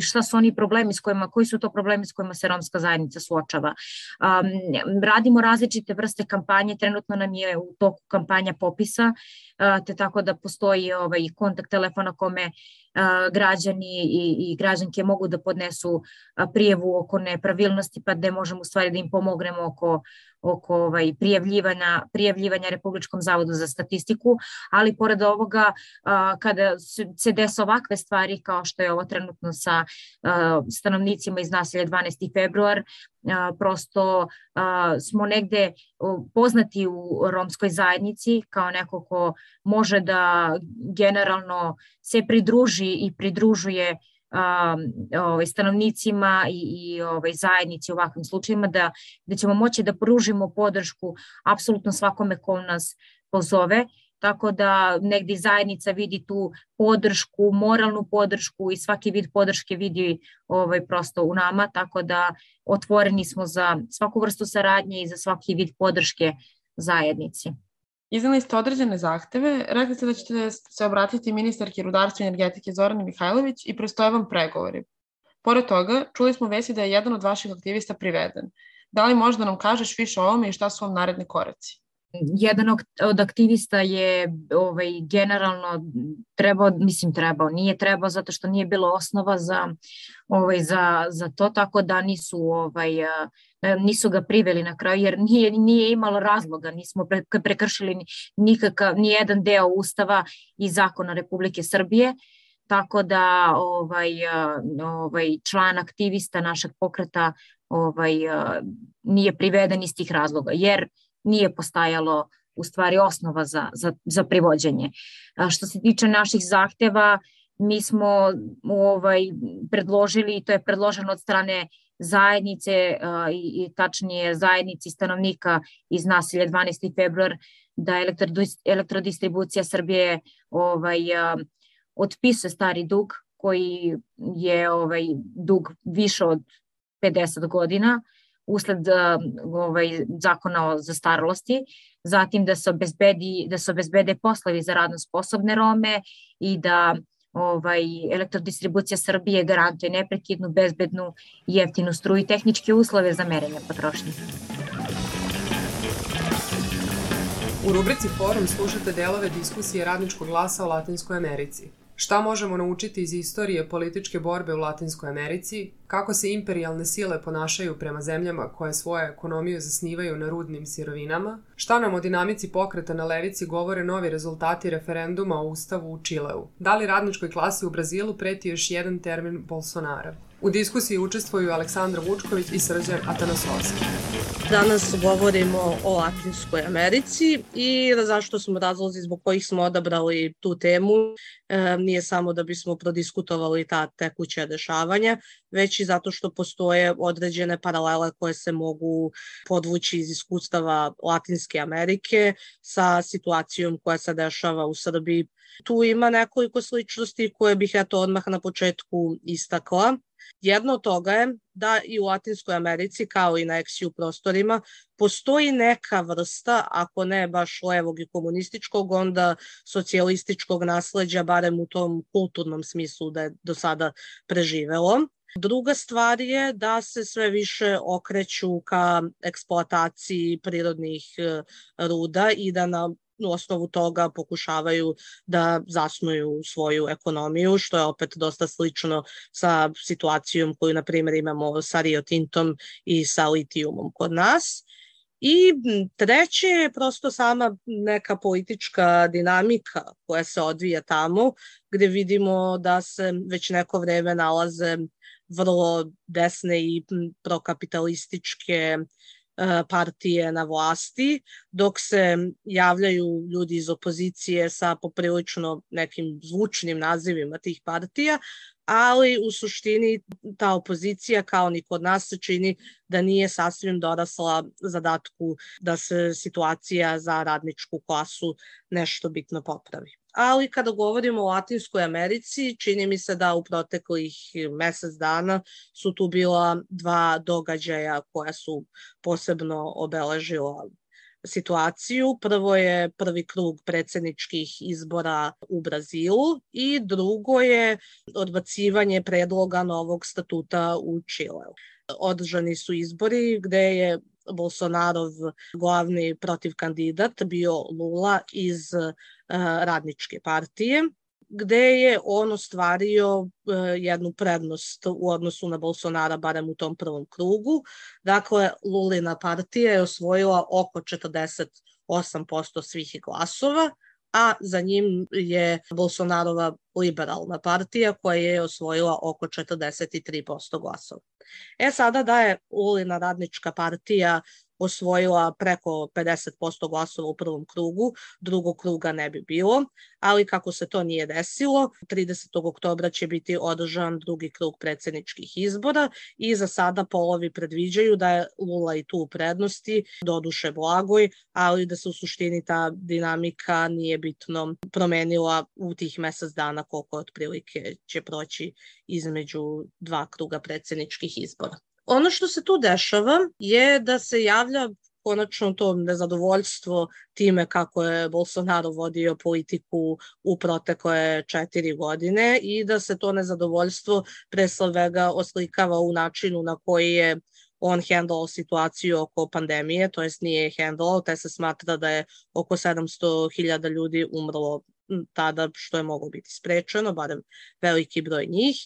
šta su oni problemi s kojima, koji su to problemi s kojima se romska zajednica suočava. Um, radimo različite vrste kampanje, trenutno nam je u toku kampanja popisa, uh, te tako da postoji ovaj, kontakt telefona kome uh, građani i, i građanke mogu da podnesu uh, prijavu oko nepravilnosti, pa da možemo u stvari da im pomognemo oko oko ovaj, prijavljivanja, prijavljivanja Republičkom zavodu za statistiku, ali pored ovoga, a, kada se dese ovakve stvari kao što je ovo trenutno sa a, stanovnicima iz naselja dvanaesti februar, a, prosto a, smo negde poznati u romskoj zajednici kao neko ko može da generalno se pridruži i pridružuje Um, ovaj, stanovnicima i, i ovaj, zajednici u ovakvim slučajima, da, da ćemo moći da pružimo podršku apsolutno svakome ko nas pozove, tako da negdje zajednica vidi tu podršku, moralnu podršku i svaki vid podrške vidi ovaj, prosto u nama, tako da otvoreni smo za svaku vrstu saradnje i za svaki vid podrške zajednici. Iznali ste određene zahteve, rekli ste da ćete se obratiti ministarki rudarstva i energetike Zorani Mihajlović i prestoje vam pregovori. Pored toga, čuli smo vesti da je jedan od vaših aktivista priveden. Da li možda nam kažeš više o ovome i šta su vam naredni koraci? Jedan od aktivista je ovaj, generalno trebao, mislim trebao, nije trebao zato što nije bilo osnova za, ovaj, za, za to, tako da nisu, ovaj, nisu ga priveli na kraju jer nije, nije imalo razloga, nismo pre, prekršili nikakav, ni jedan deo Ustava i zakona Republike Srbije, tako da ovaj, ovaj, član aktivista našeg pokreta ovaj, nije priveden iz tih razloga, jer nije postajalo u stvari osnova za, za, za privođenje. A što se tiče naših zahteva, mi smo ovaj, predložili, i to je predloženo od strane zajednice a, i, i tačnije zajednici stanovnika iz naselja dvanaesti februar, da Elektrodistribucija Srbije ovaj, a, otpisuje stari dug koji je ovaj, dug više od pedeset godina, usled ovaj, zakona o zastarelosti, zatim da se obezbedi, da se obezbede poslovi za radno sposobne Rome i da ovaj, Elektrodistribucija Srbije garantuje neprekidnu, bezbednu i jeftinu struju i tehničke uslove za merenje potrošnje. U rubrici Forum slušate delove diskusije Radničkog glasa o Latinskoj Americi. Šta možemo naučiti iz istorije političke borbe u Latinskoj Americi, kako se imperijalne sile ponašaju prema zemljama koje svoje ekonomiju zasnivaju na rudnim sirovinama, šta nam o dinamici pokreta na levici govore novi rezultati referenduma o Ustavu u Čileu, da li radničkoj klasi u Brazilu preti još jedan termin Bolsonara. U diskusiji učestvuju Aleksandra Vučković i Srđan Atanasovski. Danas govorimo o Latinskoj Americi i zašto smo razlozi zbog kojih smo odabrali tu temu. E, nije samo da bismo prodiskutovali ta tekuća dešavanja, već i zato što postoje određene paralele koje se mogu podvući iz iskustava Latinske Amerike sa situacijom koja se dešava u Srbiji. Tu ima nekoliko sličnosti koje bih eto odmah na početku istakla. Jedno od toga je da i u Latinskoj Americi, kao i na eksiju prostorima, postoji neka vrsta, ako ne baš levog i komunističkog, onda socijalističkog nasleđa, barem u tom kulturnom smislu da je do sada preživelo. Druga stvar je da se sve više okreću ka eksploataciji prirodnih ruda i da na u osnovu toga pokušavaju da zasnuju svoju ekonomiju, što je opet dosta slično sa situacijom koju, na primjer, imamo sa Rio Tintom i sa litijumom kod nas. I treće je prosto sama neka politička dinamika koja se odvija tamo, gde vidimo da se već neko vreme nalaze vrlo desne i prokapitalističke partije na vlasti, dok se javljaju ljudi iz opozicije sa poprilično nekim zvučnim nazivima tih partija, ali u suštini ta opozicija kao ni kod nas se čini da nije sasvim dorasla zadatku da se situacija za radničku klasu nešto bitno popravi. Ali kada govorimo o Latinskoj Americi, čini mi se da u proteklih mesec dana su tu bila dva događaja koja su posebno obeležila situaciju. Prvo je prvi krug predsjedničkih izbora u Brazilu i drugo je odbacivanje predloga novog statuta u Čileu. Održani su izbori gde je Bolsonarov glavni protivkandidat bio Lula iz Radničke partije, gde je on ostvario jednu prednost u odnosu na Bolsonara, barem u tom prvom krugu. Dakle, Lulina partija je osvojila oko četrdeset osam posto svih glasova, a za njim je Bolsonarova liberalna partija koja je osvojila oko četrdeset tri posto glasova. E sada da je Lulina Radnička partija osvojila preko pedeset posto glasova u prvom krugu, drugog kruga ne bi bilo, ali kako se to nije desilo, tridesetog oktobra će biti održan drugi krug predsjedničkih izbora i za sada polovi predviđaju da je Lula i tu u prednosti, doduše blagoj, ali da se u suštini ta dinamika nije bitno promenila u tih mesec dana koliko otprilike će proći između dva kruga predsjedničkih izbora. Ono što se tu dešava je da se javlja konačno to nezadovoljstvo time kako je Bolsonaro vodio politiku u protekle četiri godine i da se to nezadovoljstvo pre svega oslikava u načinu na koji je on handlao situaciju oko pandemije, to jest nije handlao, te se smatra da je oko sedamsto hiljada ljudi umrlo tada, što je moglo biti sprečeno, barem veliki broj njih.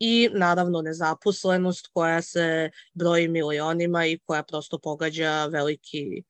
I naravno nezaposlenost koja se broji milionima i koja prosto pogađa veliki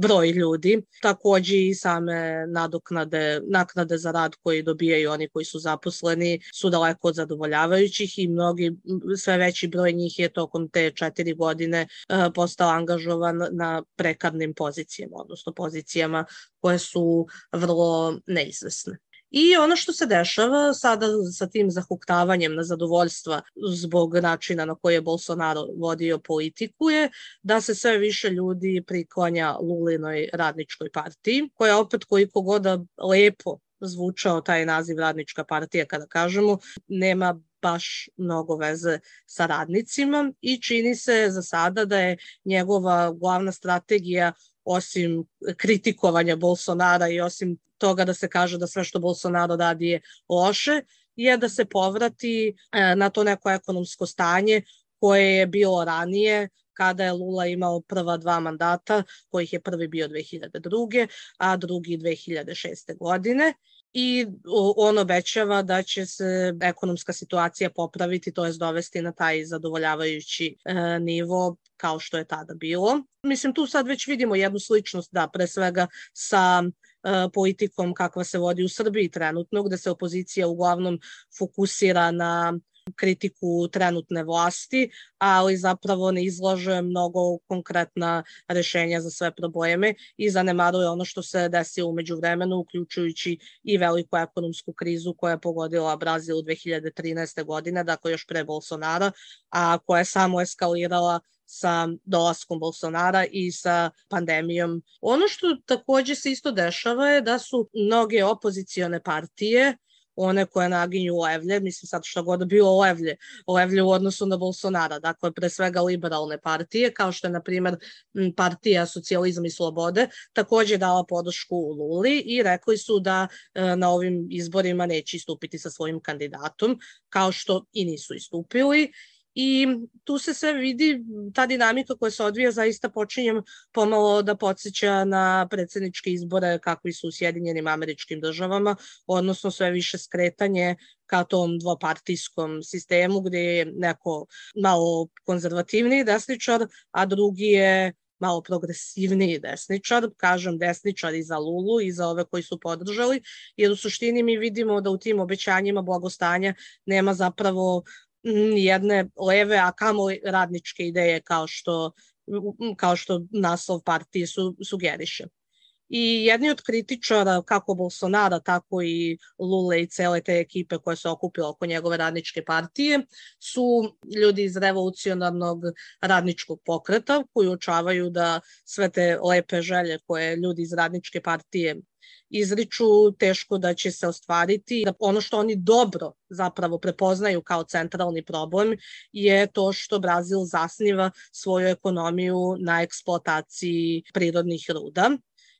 broj ljudi. Takođe i same nadoknade, naknade za rad koji dobijaju oni koji su zaposleni su daleko od zadovoljavajućih i mnogi, sve veći broj njih je tokom te četiri godine postao angažovan na prekarnim pozicijama, odnosno pozicijama koje su vrlo neizvesne. I ono što se dešava sada sa tim zahuktavanjem na zadovoljstva zbog načina na koji je Bolsonaro vodio politiku je da se sve više ljudi priklanja Lulinoj Radničkoj partiji, koja opet koliko god lepo zvučao taj naziv Radnička partija kada kažemo, nema baš mnogo veze sa radnicima i čini se za sada da je njegova glavna strategija osim kritikovanja Bolsonara i osim toga da se kaže da sve što Bolsonaro radi je loše, je da se povrati na to neko ekonomsko stanje koje je bilo ranije kada je Lula imao prva dva mandata, kojih je prvi bio dve hiljade druge. a drugi dve hiljade šeste. godine. I on obećava da će se ekonomska situacija popraviti, to jest dovesti na taj zadovoljavajući e, nivo kao što je tada bilo. Mislim, tu sad već vidimo jednu sličnost, da, pre svega sa e, politikom kakva se vodi u Srbiji trenutno, gde se opozicija uglavnom fokusira na kritiku trenutne vlasti, ali zapravo ne izlaže mnogo konkretna rešenja za sve probleme i zanemaruje ono što se desilo umeđu vremenu, uključujući i veliku ekonomsku krizu koja je pogodila Brazil dve hiljade trinaeste. godine, dakle još pre Bolsonara, a koja je samo eskalirala sa dolaskom Bolsonara i sa pandemijom. Ono što takođe se isto dešava je da su mnoge opozicione partije, one koje naginju levlje, mislim sad što god bilo levlje, levlje u odnosu na Bolsonara, dakle pre svega liberalne partije, kao što je na primjer partija Socijalizam i slobode, takođe dala podršku Luli i rekli su da na ovim izborima neće istupiti sa svojim kandidatom, kao što i nisu istupili. I tu se sve vidi, ta dinamika koja se odvija zaista počinjem pomalo da podsjeća na predsjedničke izbore kakvi su u Sjedinjenim Američkim Državama, odnosno sve više skretanje ka tom dvopartijskom sistemu gde je neko malo konzervativniji desničar, a drugi je malo progresivniji desničar, kažem desničar i za Lulu i za ove koji su podržali, jer u suštini mi vidimo da u tim obećanjima blagostanja nema zapravo jedne leve, a kamoli radničke ideje kao što kao što naslov partije su, sugeriše. I jedni od kritičara, kako Bolsonara, tako i Lule i cele te ekipe koje se okupila oko njegove radničke partije, su ljudi iz revolucionarnog radničkog pokreta koji uočavaju da sve te lepe želje koje ljudi iz radničke partije izriču, teško da će se ostvariti. Da ono što oni dobro zapravo prepoznaju kao centralni problem je to što Brazil zasniva svoju ekonomiju na eksploataciji prirodnih ruda.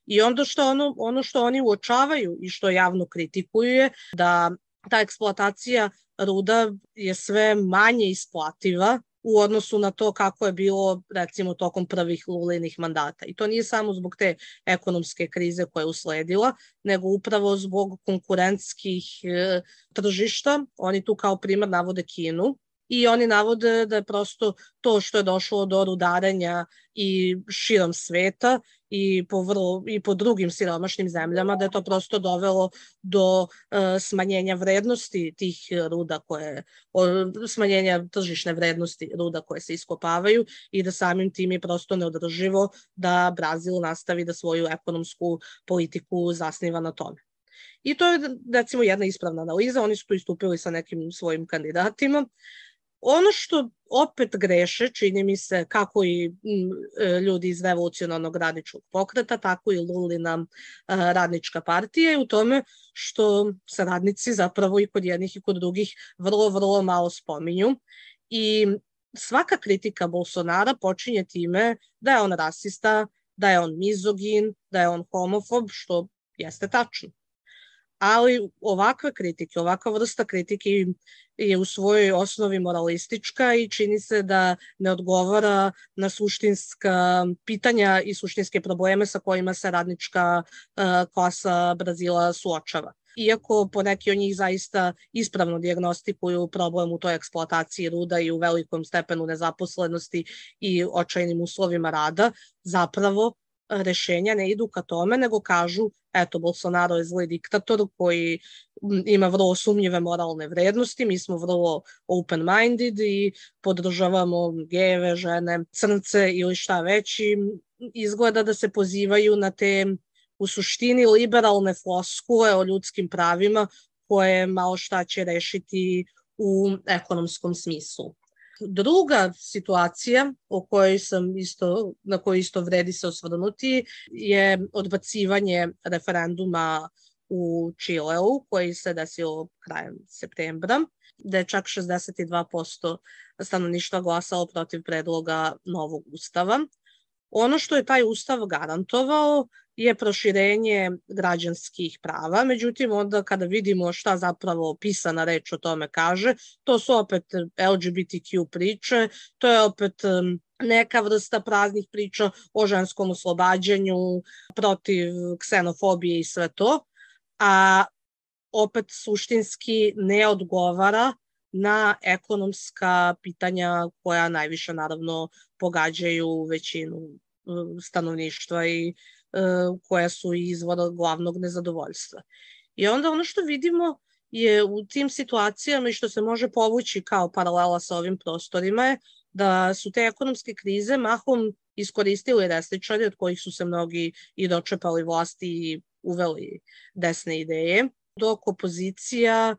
I onda što ono, ono što oni uočavaju i što javno kritikuju je da ta eksploatacija ruda je sve manje isplativa u odnosu na to kako je bilo recimo tokom prvih Lulinih mandata. I to nije samo zbog te ekonomske krize koja je usledila, nego upravo zbog konkurentskih e, tržišta. Oni tu kao primer navode Kinu. I oni navode da je prosto to što je došlo do rudarenja i širom sveta i po, vrlo, i po drugim siromašnim zemljama, da je to prosto dovelo do e, smanjenja vrednosti tih ruda, koje, o, smanjenja tržišne vrednosti ruda koje se iskopavaju i da samim tim je prosto neodrživo da Brazil nastavi da svoju ekonomsku politiku zasniva na tome. I to je recimo jedna ispravna analiza, oni su tu istupili sa nekim svojim kandidatima. Ono što opet greše, čini mi se, kako i ljudi iz revolucionarnog radničkog pokreta, tako i Lulina radnička partija, je u tome što se radnici zapravo i kod jednih i kod drugih vrlo, vrlo malo spominju. I svaka kritika Bolsonara počinje time da je on rasista, da je on mizogin, da je on homofob, što jeste tačno. Ali ovakve kritike, ovakva vrsta kritike je u svojoj osnovi moralistička i čini se da ne odgovara na suštinska pitanja i suštinske probleme sa kojima se radnička uh, klasa Brazila suočava. Iako poneki od njih zaista ispravno dijagnostikuju problem u toj eksploataciji ruda i u velikom stepenu nezaposlenosti i očajnim uslovima rada, zapravo rešenja ne idu ka tome, nego kažu, eto, Bolsonaro je zli diktator koji ima vrlo sumnjive moralne vrednosti, mi smo vrlo open-minded i podržavamo gejeve, žene, crnce ili šta već, i izgleda da se pozivaju na te u suštini liberalne floskule o ljudskim pravima koje malo šta će rešiti u ekonomskom smislu. Druga situacija o kojoj sam isto, na koju isto vredi se osvrnuti je odbacivanje referenduma u Čileu koji se desilo krajem septembra, gde je čak šezdeset dva posto stanovništva glasalo protiv predloga novog ustava. Ono što je taj ustav garantovao je proširenje građanskih prava, međutim onda kada vidimo šta zapravo pisana reč o tome kaže, to su opet L G B T Q priče, to je opet neka vrsta praznih priča o ženskom oslobađanju, protiv ksenofobije i sve to, a opet suštinski ne odgovara na ekonomska pitanja koja najviše naravno pogađaju većinu stanovništva i koja su izvor glavnog nezadovoljstva. I onda ono što vidimo je u tim situacijama i što se može povući kao paralela sa ovim prostorima je da su te ekonomske krize mahom iskoristili desničari od kojih su se mnogi i dočepali vlasti i uveli desne ideje, dok opozicija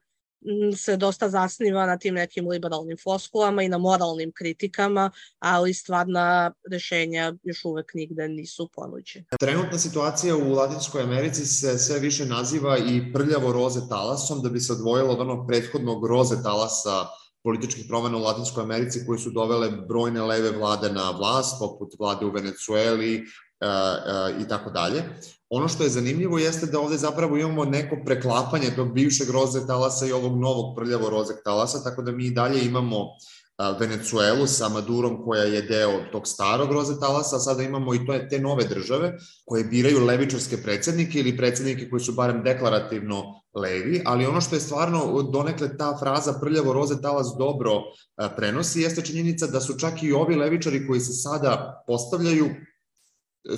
se dosta zasniva na tim nekim liberalnim floskulama i na moralnim kritikama, ali stvarna rešenja još uvek nigde nisu ponuđena. Trenutna situacija u Latinskoj Americi se sve više naziva i prljavo roze talasom, da bi se odvojilo od onog prethodnog roze talasa političkih promena u Latinskoj Americi koji su dovele brojne leve vlade na vlast, poput vlade u Venecueli, Uh, uh, i tako dalje. Ono što je zanimljivo jeste da ovde zapravo imamo neko preklapanje tog bivšeg roze talasa i ovog novog prljavo rozeg talasa, tako da mi i dalje imamo uh, Venecuelu sa Madurom koja je deo tog starog roze talasa, a sada imamo i to, te nove države koje biraju levičarske predsednike ili predsednike koji su barem deklarativno levi, ali ono što je stvarno donekle ta fraza prljavo roze talas dobro uh, prenosi jeste činjenica da su čak i ovi levičari koji se sada postavljaju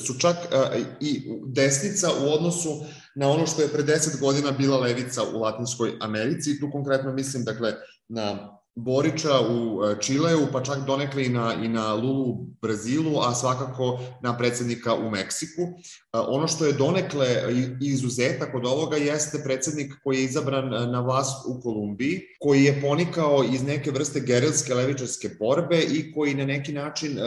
su čak uh, i desnica u odnosu na ono što je pre deset godina bila levica u Latinskoj Americi. Tu konkretno mislim dakle na Borića u Čileu, pa čak donekle i na, i na Lulu u Brazilu, a svakako na predsednika u Meksiku. Ono što je donekle izuzetak od ovoga jeste predsednik koji je izabran na vlast u Kolumbiji, koji je ponikao iz neke vrste gerilske levičarske borbe i koji na neki način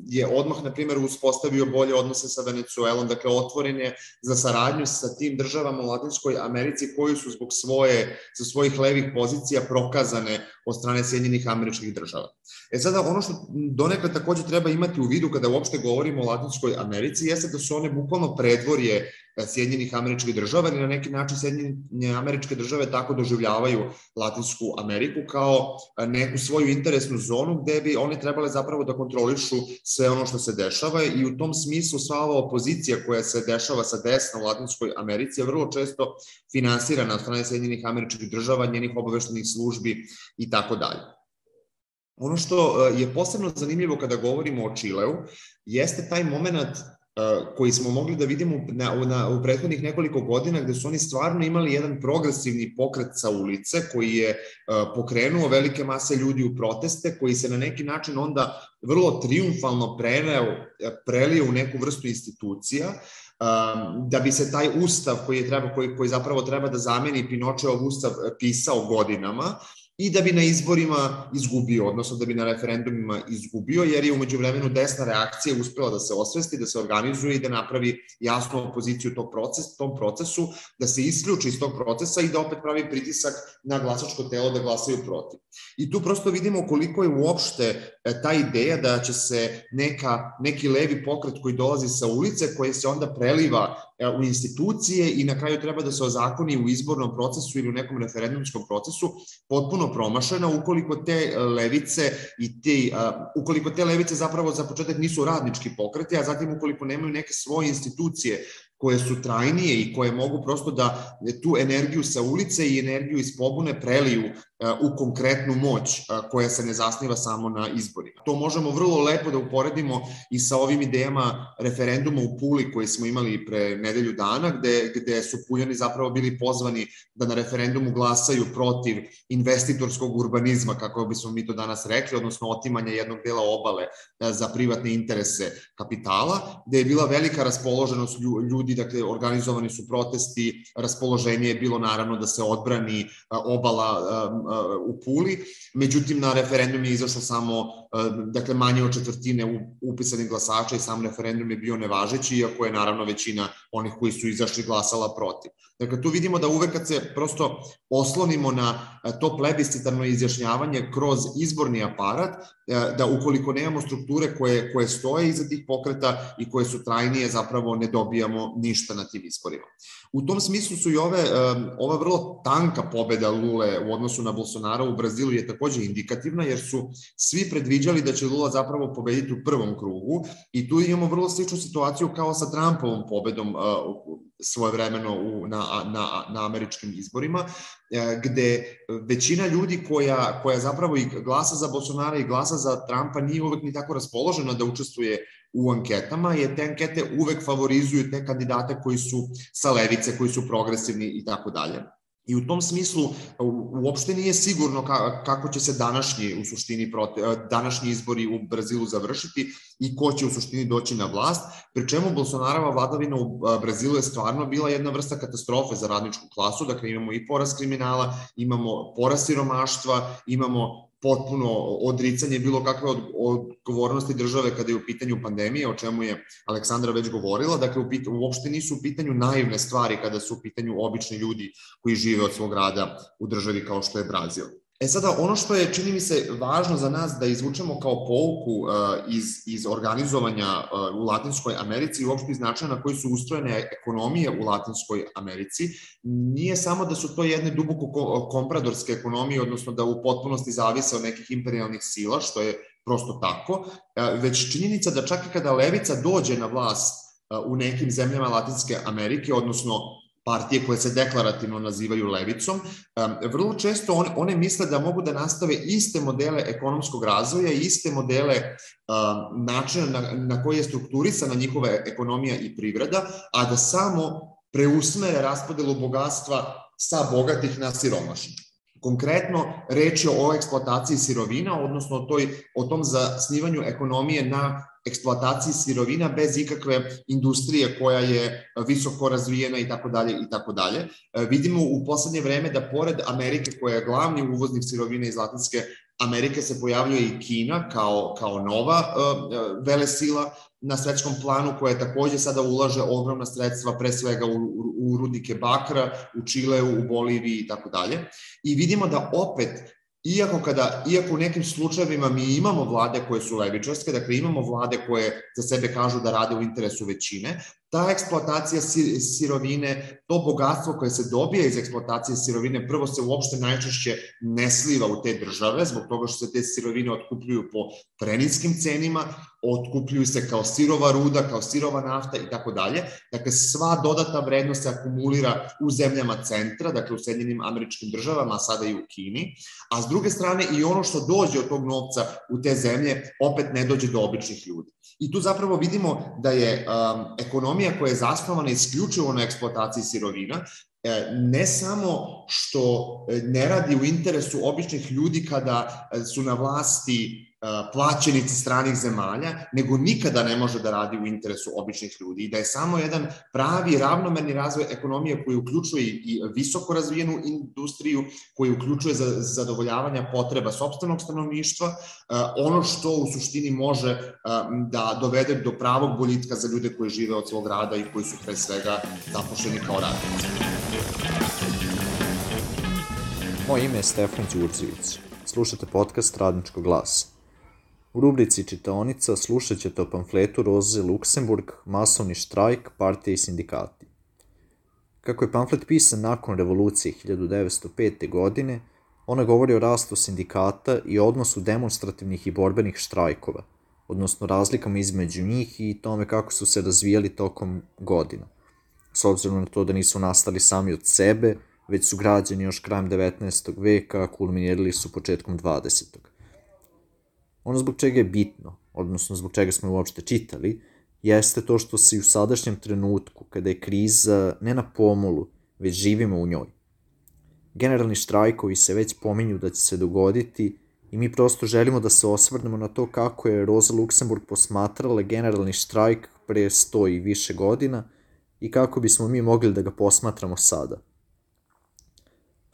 je odmah, na primjer, uspostavio bolje odnose sa Venecuelom, dakle otvoren je za saradnju sa tim državama u Latinskoj Americi koji su zbog svoje, za svojih levih pozicija prokazane od strane Sjedinjenih Američkih Država. E sada, ono što donekle takođe treba imati u vidu kada uopšte govorimo o Latinskoj Americi jeste da su one bukvalno predvorje Sjedinjenih Američkih Država i na neki način Sjedinjene Američke Države tako doživljavaju Latinsku Ameriku kao neku svoju interesnu zonu gde bi one trebale zapravo da kontrolišu sve ono što se dešava i u tom smislu sva ova opozicija koja se dešava sa desna u Latinskoj Americi je vrlo često finansirana od strane Sjedinjenih Američkih Država, njenih obaveštenih službi i tako dalje. Ono što je posebno zanimljivo kada govorimo o Čileu jeste taj moment koji smo mogli da vidimo na, na, u prethodnih nekoliko godina gde su oni stvarno imali jedan progresivni pokret sa ulice koji je uh, pokrenuo velike mase ljudi u proteste, koji se na neki način onda vrlo triumfalno preneo, prelio u neku vrstu institucija, um, da bi se taj ustav koji, je treba, koji, koji zapravo treba da zameni Pinočeov ustav pisao godinama, i da bi na izborima izgubio, odnosno da bi na referendumima izgubio, jer je umeđu vremenu desna reakcija uspela da se osvesti, da se organizuje i da napravi jasnu opoziciju tog proces, tom procesu, da se isključi iz tog procesa i da opet pravi pritisak na glasačko telo da glasaju protiv. I tu prosto vidimo koliko je uopšte ta ideja da će se neka, neki levi pokret koji dolazi sa ulice, koji se onda preliva u institucije i na kraju treba da se ozakoni u izbornom procesu ili u nekom referendumskom procesu, potpuno promašena ukoliko te levice i te, ukoliko te levice zapravo za početak nisu radnički pokreti, a zatim ukoliko nemaju neke svoje institucije koje su trajnije i koje mogu prosto da tu energiju sa ulice i energiju iz pobune preliju u konkretnu moć koja se ne zasniva samo na izborima. To možemo vrlo lepo da uporedimo i sa ovim idejama referenduma u Puli koji smo imali pre nedelju dana, gde, gde su Puljani zapravo bili pozvani da na referendumu glasaju protiv investitorskog urbanizma, kako bismo mi to danas rekli, odnosno otimanja jednog dela obale za privatne interese kapitala, gde je bila velika raspoloženost ljudi, dakle organizovani su protesti, raspoloženje je bilo naravno da se odbrani obala u Puli, međutim na referendum je izašlo samo dakle manje od četvrtine upisanih glasača i sam referendum je bio nevažeći, iako je naravno većina onih koji su izašli glasala protiv. Dakle, tu vidimo da uvek kad se prosto oslonimo na to plebiscitarno izjašnjavanje kroz izborni aparat, da ukoliko nemamo strukture koje, koje stoje iza tih pokreta i koje su trajnije, zapravo ne dobijamo ništa na tim izborima. U tom smislu su i ove, ova vrlo tanka pobeda Lule u odnosu na Bolsonara u Brazilu je takođe indikativna, jer su svi predviđali da će Lula zapravo pobediti u prvom krugu i tu imamo vrlo sličnu situaciju kao sa Trumpovom pobedom svojevremeno u, na, na, na američkim izborima, gde većina ljudi koja, koja zapravo i glasa za Bolsonara i glasa za Trumpa nije uvek ni tako raspoložena da učestvuje u anketama, jer te ankete uvek favorizuju te kandidate koji su sa levice, koji su progresivni i tako dalje. I u tom smislu uopšte nije sigurno kako će se današnji, u suštini, današnji izbori u Brazilu završiti i ko će u suštini doći na vlast, pri čemu Bolsonarova vladavina u Brazilu je stvarno bila jedna vrsta katastrofe za radničku klasu, dakle imamo i porast kriminala, imamo porast siromaštva, imamo potpuno odricanje bilo kakve odgovornosti države kada je u pitanju pandemije, o čemu je Aleksandra već govorila. Dakle, uopšte nisu u pitanju naivne stvari kada su u pitanju obični ljudi koji žive od svog rada u državi kao što je Brazil. E sada, ono što je, čini mi se, važno za nas da izvučemo kao pouku uh, iz, iz organizovanja uh, u Latinskoj Americi i uopšte iz načina na koji su ustrojene ekonomije u Latinskoj Americi, nije samo da su to jedne duboko kompradorske ekonomije, odnosno da u potpunosti zavise od nekih imperijalnih sila, što je prosto tako, uh, već činjenica da čak i kada levica dođe na vlast uh, u nekim zemljama Latinske Amerike, odnosno partije koje se deklarativno nazivaju levicom, vrlo često one, one misle da mogu da nastave iste modele ekonomskog razvoja i iste modele um, načina na, na koji je strukturisana njihova ekonomija i privreda, a da samo preusmere raspodelu bogatstva sa bogatih na siromašnih. Konkretno, reč je o eksploataciji sirovina, odnosno o, toj, o tom zasnivanju ekonomije na eksploataciji sirovina bez ikakve industrije koja je visoko razvijena i tako dalje i tako dalje. Vidimo u poslednje vreme da pored Amerike koja je glavni uvoznik sirovina iz Latinske Amerike se pojavljuje i Kina kao, kao nova uh, velesila na svetskom planu koja takođe sada ulaže ogromna sredstva pre svega u, u rudnike bakra, u Čileu, u Boliviji i tako dalje. I vidimo da opet Iako, kada, iako u nekim slučajevima mi imamo vlade koje su levičarske, dakle imamo vlade koje za sebe kažu da rade u interesu većine, ta eksploatacija sirovine, to bogatstvo koje se dobije iz eksploatacije sirovine, prvo se uopšte najčešće ne sliva u te države, zbog toga što se te sirovine otkupljuju po preniskim cenima, otkupljuju se kao sirova ruda, kao sirova nafta i tako dalje. Dakle, sva dodatna vrednost se akumulira u zemljama centra, dakle u Sjedinjenim Američkim Državama, a sada i u Kini, a s druge strane i ono što dođe od tog novca u te zemlje opet ne dođe do običnih ljudi. I tu zapravo vidimo da je um, ekonomija koja je zasnovana isključivo na eksploataciji sirovina, ne samo što ne radi u interesu običnih ljudi kada su na vlasti plaćenici stranih zemalja, nego nikada ne može da radi u interesu običnih ljudi i da je samo jedan pravi ravnomerni razvoj ekonomije koji uključuje i visoko razvijenu industriju, koji uključuje zadovoljavanja potreba sopstvenog stanovništva, ono što u suštini može da dovede do pravog boljitka za ljude koji žive od svog rada i koji su pre svega zaposleni kao radnici. Moje ime je Stefan Đurđević. Slušate podcast Radničkog glasa. U rubrici Čitaonica slušat ćete o pamfletu Roze Luksemburg, Masovni štrajk, partije i sindikati. Kako je pamflet pisan nakon revolucije hiljadu devetsto pete. godine, ona govori o rastu sindikata i odnosu demonstrativnih i borbenih štrajkova, odnosno razlikama između njih i tome kako su se razvijali tokom godina, s obzirom na to da nisu nastali sami od sebe, već su građeni još krajem devetnaestog veka, a kulminirali su početkom dvadesetog. Ono zbog čega je bitno, odnosno zbog čega smo uopšte čitali, jeste to što se u sadašnjem trenutku, kada je kriza ne na pomolu, već živimo u njoj. Generalni štrajkovi se već pominju da će se dogoditi i mi prosto želimo da se osvrnemo na to kako je Roza Luksemburg posmatrala generalni štrajk pre sto i više godina i kako bismo mi mogli da ga posmatramo sada.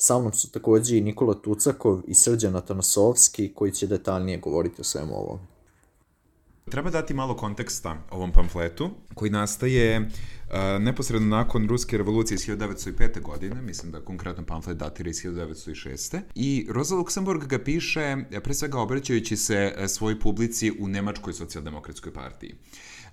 Sa mnom su takođe i Nikola Tucakov i Srđan Atanasovski koji će detaljnije govoriti o svemu ovom. Treba dati malo konteksta ovom pamfletu koji nastaje uh, neposredno nakon Ruske revolucije iz hiljadu devetsto pete. godine, mislim da konkretno pamflet datira iz hiljadu devetsto šeste. I Roza Luksemburg ga piše pre svega obraćajući se svojoj publici u Nemačkoj socijaldemokratskoj partiji.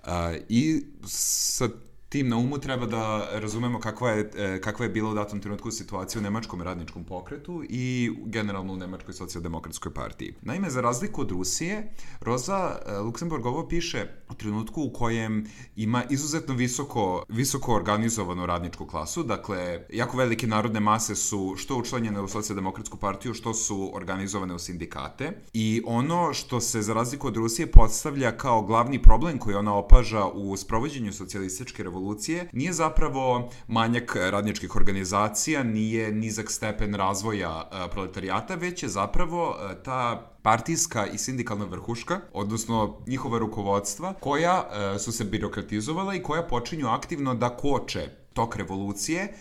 Uh, I sa tim na umu treba da razumemo kakva je, kakva je bila u datom trenutku situacija u Nemačkom radničkom pokretu i generalno u Nemačkoj socijaldemokratskoj partiji. Naime, za razliku od Rusije, Roza Luksemburg ovo piše u trenutku u kojem ima izuzetno visoko, visoko organizovanu radničku klasu, dakle, jako velike narodne mase su što učlanjene u socijaldemokratsku partiju, što su organizovane u sindikate i ono što se za razliku od Rusije postavlja kao glavni problem koji ona opaža u sprovođenju socijalističke revolucije revolucije nije zapravo manjak radničkih organizacija, nije nizak stepen razvoja proletarijata, već je zapravo ta partijska i sindikalna vrhuška, odnosno njihova rukovodstva, koja su se birokratizovala i koja počinju aktivno da koče tok revolucije,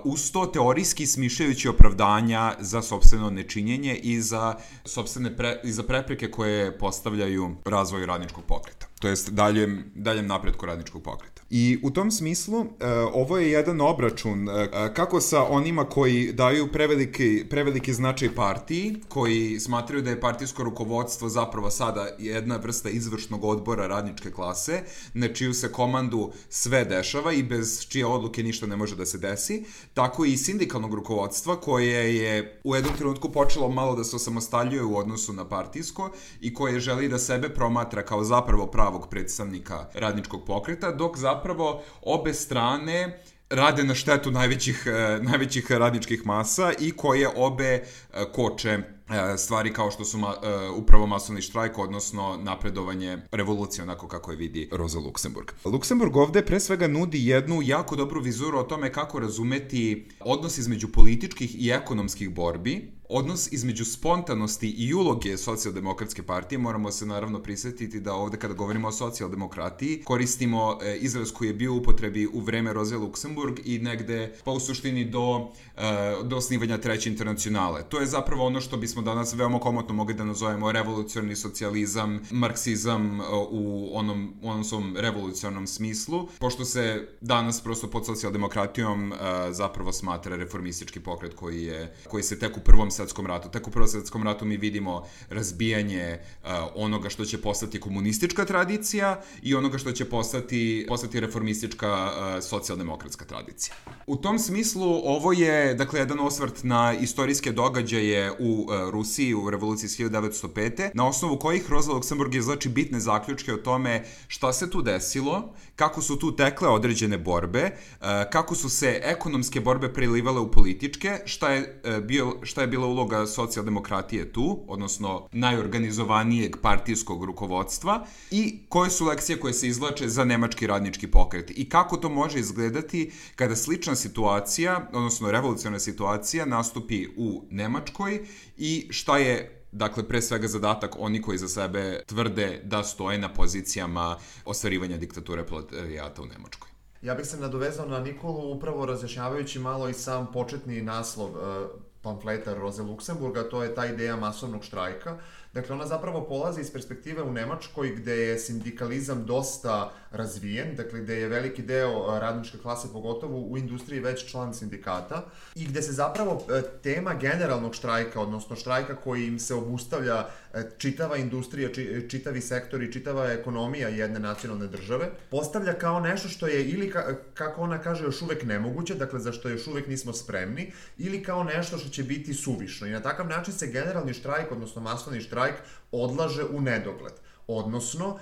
uz to teorijski smišljajući opravdanja za sopstveno nečinjenje i za sopstvene pre, i za prepreke koje postavljaju razvoju radničkog pokreta, to jest daljem, daljem napretku radničkog pokreta. I u tom smislu ovo je jedan obračun kako sa onima koji daju preveliki, preveliki značaj partiji, koji smatraju da je partijsko rukovodstvo zapravo sada jedna vrsta izvršnog odbora radničke klase, na čiju se komandu sve dešava i bez čije odluke ništa ne može da se desi, tako i sindikalnog rukovodstva koje je u jednom trenutku počelo malo da se osamostaljuje u odnosu na partijsko i koje želi da sebe promatra kao zapravo pravog predstavnika radničkog pokreta, dok zapravo obe strane rade na štetu najvećih, najvećih radničkih masa i koje obe koče stvari kao što su ma, uh, upravo masovni štrajk, odnosno napredovanje revolucije, onako kako je vidi Rosa Luxemburg. Luxemburg ovde pre svega nudi jednu jako dobru vizuru o tome kako razumeti odnos između političkih i ekonomskih borbi, odnos između spontanosti i uloge socijaldemokratske partije. Moramo se naravno prisjetiti da ovde kada govorimo o socijaldemokratiji koristimo e, izraz koji je bio u upotrebi u vreme Roze Luxemburg i negde pa u suštini do, e, do osnivanja Treće internacionale. To je zapravo ono što bismo danas veoma komotno mogli da nazovemo revolucionarni socijalizam, marksizam e, u onom, u onom svom revolucionarnom smislu, pošto se danas prosto pod socijaldemokratijom e, zapravo smatra reformistički pokret koji, je, koji se tek u prvom svetskom ratu. Tek u Prvom svetskom ratu mi vidimo razbijanje uh, onoga što će postati komunistička tradicija i onoga što će postati, postati reformistička uh, socijaldemokratska tradicija. U tom smislu ovo je, dakle, jedan osvrt na istorijske događaje u uh, Rusiji u revoluciji iz hiljadu devetsto pete, na osnovu kojih Rosa Luxemburg izvlači bitne zaključke o tome šta se tu desilo, kako su tu tekle određene borbe, uh, kako su se ekonomske borbe prelivale u političke, šta je, uh, bio, šta je bilo uloga socijaldemokratije tu, odnosno najorganizovanijeg partijskog rukovodstva i koje su lekcije koje se izvlače za nemački radnički pokret i kako to može izgledati kada slična situacija, odnosno revolucionarna situacija nastupi u Nemačkoj i šta je, dakle, pre svega zadatak oni koji za sebe tvrde da stoje na pozicijama ostvarivanja diktature proletarijata u Nemačkoj. Ja bih se nadovezao na Nikolu upravo razjašnjavajući malo i sam početni naslov uh, pamfleta Roze Luxemburga, to je ta ideja masovnog štrajka. Dakle, ona zapravo polazi iz perspektive u Nemačkoj gde je sindikalizam dosta razvijen, dakle gde je veliki deo radničke klase, pogotovo u industriji, već član sindikata i gde se zapravo tema generalnog štrajka, odnosno štrajka koji im se obustavlja čitava industrija, čitavi sektori, čitava ekonomija jedne nacionalne države, postavlja kao nešto što je ili, kako ona kaže, još uvek nemoguće, dakle za što još uvek nismo spremni, ili kao nešto što će biti suvišno. I na takav način se generalni štrajk, odnosno masovni štrajk, odlaže u nedogled. Odnosno,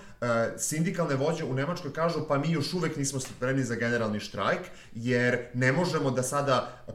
sindikalne vođe u Nemačkoj kažu pa mi još uvek nismo spremni za generalni štrajk, jer ne možemo da sada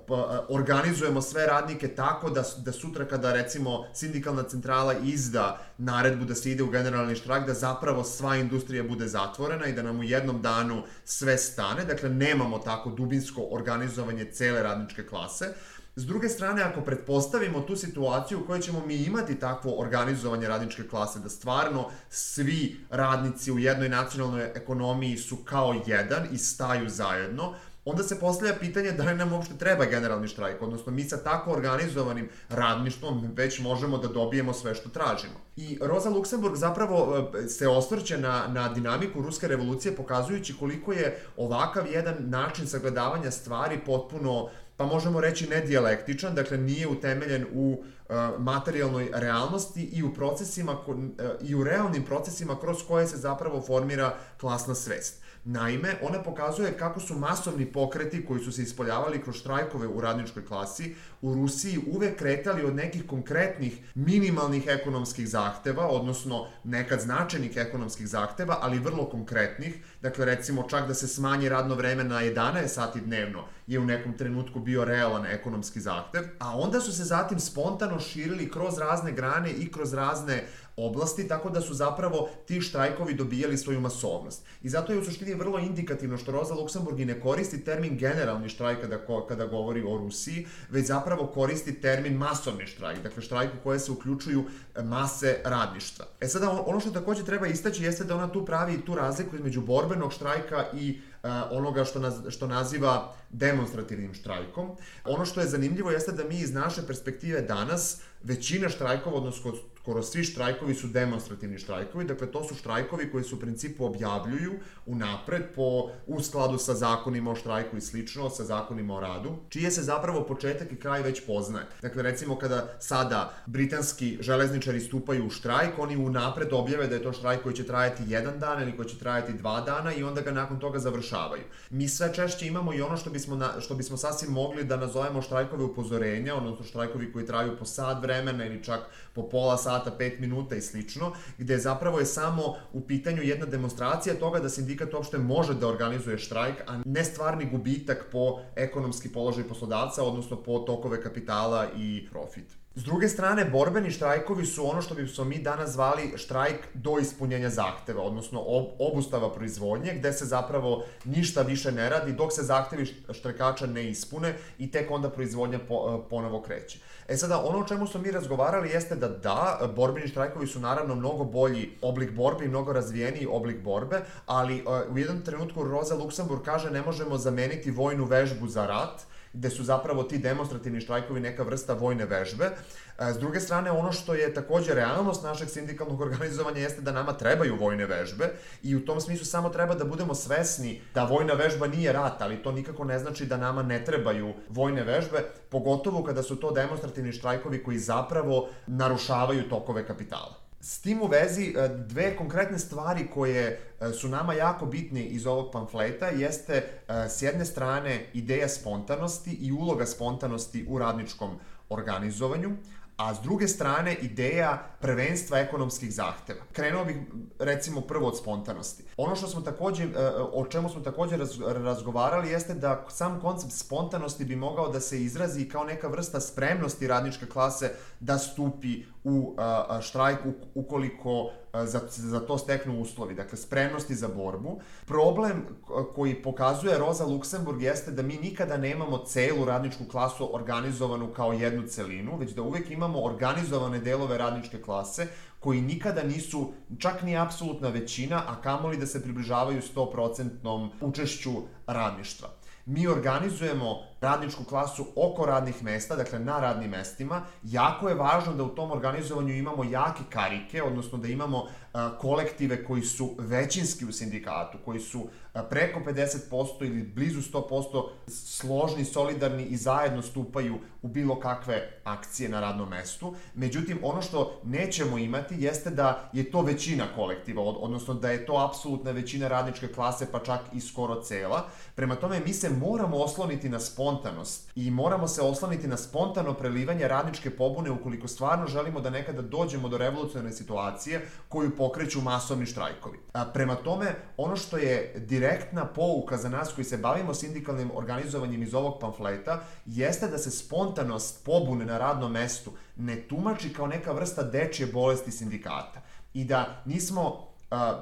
organizujemo sve radnike tako da, da sutra kada recimo sindikalna centrala izda naredbu da se ide u generalni štrajk, da zapravo sva industrija bude zatvorena i da nam u jednom danu sve stane. Dakle, nemamo tako dubinsko organizovanje cele radničke klase. S druge strane, ako pretpostavimo tu situaciju u kojoj ćemo mi imati takvo organizovanje radničke klase, da stvarno svi radnici u jednoj nacionalnoj ekonomiji su kao jedan i staju zajedno, onda se postavlja pitanje da li nam uopšte treba generalni štrajk, odnosno mi sa tako organizovanim radništvom već možemo da dobijemo sve što tražimo. I Rosa Luxemburg zapravo se osvrće na, na dinamiku ruske revolucije, pokazujući koliko je ovakav jedan način sagledavanja stvari potpuno, pa možemo reći, nedijalektičan, dakle nije utemeljen u uh, materijalnoj realnosti i u procesima, uh, i u realnim procesima kroz koje se zapravo formira klasna svest. Naime, ona pokazuje kako su masovni pokreti koji su se ispoljavali kroz štrajkove u radničkoj klasi u Rusiji uvek kretali od nekih konkretnih minimalnih ekonomskih zahteva, odnosno nekad značajnih ekonomskih zahteva, ali vrlo konkretnih. Dakle, recimo čak da se smanji radno vreme na jedanaest sati dnevno je u nekom trenutku bio realan ekonomski zahtev, a onda su se zatim spontano širili kroz razne grane i kroz razne oblasti, tako da su zapravo ti štrajkovi dobijali svoju masovnost. I zato je u suštini vrlo indikativno što Rosa Luxemburg i ne koristi termin generalni štrajk kada, kada govori o Rusiji, već zapravo koristi termin masovni štrajk, dakle štrajk u koje se uključuju mase radništva. E sada, ono što takođe treba istaći jeste da ona tu pravi tu razliku između borbenog štrajka i uh, onoga što, naz, što naziva demonstrativnim štrajkom. Ono što je zanimljivo jeste da mi iz naše perspektive danas većina štrajkova, odnosno skoro svi štrajkovi su demonstrativni štrajkovi, dakle to su štrajkovi koji se u principu objavljuju unapred po, u skladu sa zakonima o štrajku i slično, sa zakonima o radu, čije se zapravo početak i kraj već poznaje. Dakle, recimo kada sada britanski železničari stupaju u štrajk, oni unapred objave da je to štrajk koji će trajati jedan dan ili koji će trajati dva dana i onda ga nakon toga završavaju. Mi sve češće imamo i ono što bismo, na, što bismo sasvim mogli da nazovemo štrajkove upozorenja, odnosno štrajkovi koji traju po sat vremena ili čak po pola sata, pet minuta i slično, gde zapravo je samo u pitanju jedna demonstracija toga da sindikat uopšte može da organizuje štrajk, a ne stvarni gubitak po ekonomski položaj poslodavca, odnosno po tokove kapitala i profit. S druge strane, borbeni štrajkovi su ono što bismo mi danas zvali štrajk do ispunjenja zahteva, odnosno ob, obustava proizvodnje, gde se zapravo ništa više ne radi dok se zahtevi štrajkača ne ispune i tek onda proizvodnja po, ponovo kreće. E sada, ono o čemu smo mi razgovarali jeste da da, borbeni štrajkovi su naravno mnogo bolji oblik borbe i mnogo razvijeniji oblik borbe, ali uh, u jednom trenutku Rosa Luxemburg kaže ne možemo zameniti vojnu vežbu za rat, gde su zapravo ti demonstrativni štrajkovi neka vrsta vojne vežbe. S druge strane, ono što je takođe realnost našeg sindikalnog organizovanja jeste da nama trebaju vojne vežbe i u tom smislu samo treba da budemo svesni da vojna vežba nije rat, ali to nikako ne znači da nama ne trebaju vojne vežbe, pogotovo kada su to demonstrativni štrajkovi koji zapravo narušavaju tokove kapitala. S tim u vezi, dve konkretne stvari koje su nama jako bitne iz ovog pamfleta jeste s jedne strane ideja spontanosti i uloga spontanosti u radničkom organizovanju, a s druge strane ideja prvenstva ekonomskih zahteva. Krenuo bih recimo prvo od spontanosti. Ono što smo takođe, o čemu smo takođe razgovarali jeste da sam koncept spontanosti bi mogao da se izrazi kao neka vrsta spremnosti radničke klase da stupi u štrajk ukoliko za, za to steknu uslovi, dakle spremnosti za borbu. Problem koji pokazuje Rosa Luxemburg jeste da mi nikada nemamo celu radničku klasu organizovanu kao jednu celinu, već da uvek imamo organizovane delove radničke klase koji nikada nisu čak ni apsolutna većina, a kamoli da se približavaju sto procentom učešću radništva. Mi organizujemo radničku klasu oko radnih mesta, dakle na radnim mestima. Jako je važno da u tom organizovanju imamo jake karike, odnosno da imamo a, kolektive koji su većinski u sindikatu, koji su a, preko pedeset posto ili blizu sto posto složni, solidarni i zajedno stupaju u bilo kakve akcije na radnom mestu. Međutim, ono što nećemo imati jeste da je to većina kolektiva, od, odnosno da je to apsolutna većina radničke klase, pa čak i skoro cela. Prema tome, mi se moramo osloniti na spontanost i moramo se osloniti na spontano prelivanje radničke pobune ukoliko stvarno želimo da nekada dođemo do revolucionarne situacije koju pokreću masovni štrajkovi. A, prema tome, ono što je direktna pouka za nas koji se bavimo sindikalnim organizovanjem iz ovog pamfleta jeste da se spontanost pobune na radnom mestu ne tumači kao neka vrsta dečje bolesti sindikata i da nismo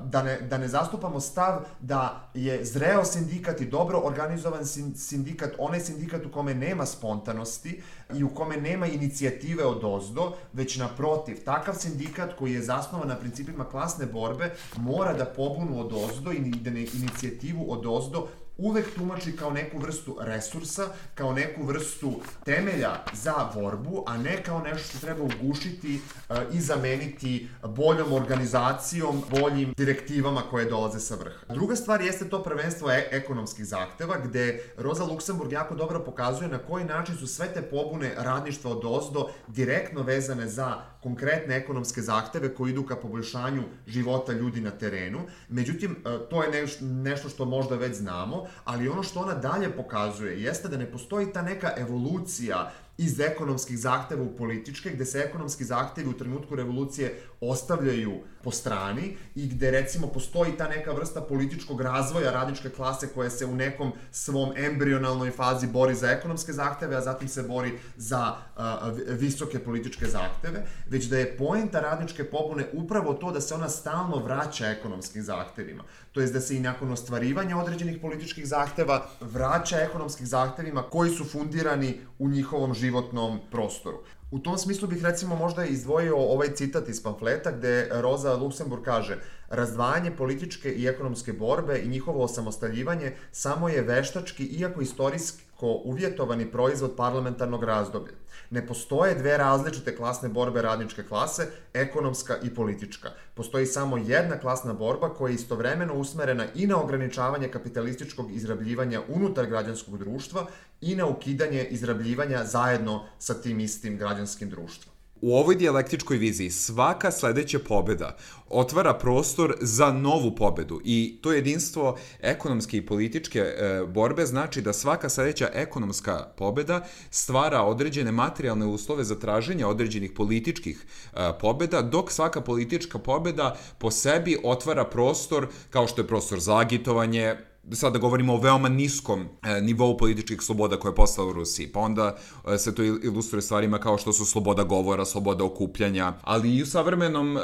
Da ne, da ne zastupamo stav da je zreo sindikat i dobro organizovan sindikat onaj sindikat u kome nema spontanosti i u kome nema inicijative od ozdo, već naprotiv, takav sindikat koji je zasnovan na principima klasne borbe mora da pobunu od ozdo i da ne inicijativu od ozdo uvek tumači kao neku vrstu resursa, kao neku vrstu temelja za borbu, a ne kao nešto što treba ugušiti uh, i zameniti boljom organizacijom, boljim direktivama koje dolaze sa vrha. Druga stvar jeste to prvenstvo e ekonomskih zahteva, gde Rosa Luxemburg jako dobro pokazuje na koji način su sve te pobune radništva od ozdo direktno vezane za konkretne ekonomske zahteve koji idu ka poboljšanju života ljudi na terenu. Međutim, uh, to je neš nešto što možda već znamo, ali ono što ona dalje pokazuje jeste da ne postoji ta neka evolucija iz ekonomskih zahteva u političke, gde se ekonomski zahtevi u trenutku revolucije ostavljaju po strani i gde recimo postoji ta neka vrsta političkog razvoja radničke klase koja se u nekom svom embrionalnoj fazi bori za ekonomske zahteve, a zatim se bori za a, visoke političke zahteve, već da je poenta radničke pobune upravo to da se ona stalno vraća ekonomskim zahtevima. To jest da se i nakon ostvarivanja određenih političkih zahteva vraća ekonomskih zahtevima koji su fundirani u njihovom životnom prostoru. U tom smislu bih recimo možda izdvojio ovaj citat iz pamfleta gde Rosa Luxemburg kaže: razdvajanje političke i ekonomske borbe i njihovo osamostaljivanje samo je veštački, iako istorijsko uvjetovani proizvod parlamentarnog razdoblja. Ne postoje dve različite klasne borbe radničke klase, ekonomska i politička. Postoji samo jedna klasna borba koja je istovremeno usmerena i na ograničavanje kapitalističkog izrabljivanja unutar građanskog društva i na ukidanje izrabljivanja zajedno sa tim istim građanskim društvom. U ovoj dijalektičkoj viziji svaka sledeća pobeda otvara prostor za novu pobedu i to jedinstvo ekonomske i političke e, borbe znači da svaka sledeća ekonomska pobeda stvara određene materijalne uslove za traženje određenih političkih e, pobeda, dok svaka politička pobeda po sebi otvara prostor kao što je prostor za agitovanje, sada govorimo o veoma niskom e, nivou političkih sloboda koje je postala u Rusiji, pa onda e, se to ilustruje stvarima kao što su sloboda govora, sloboda okupljanja, ali i u savremenom e,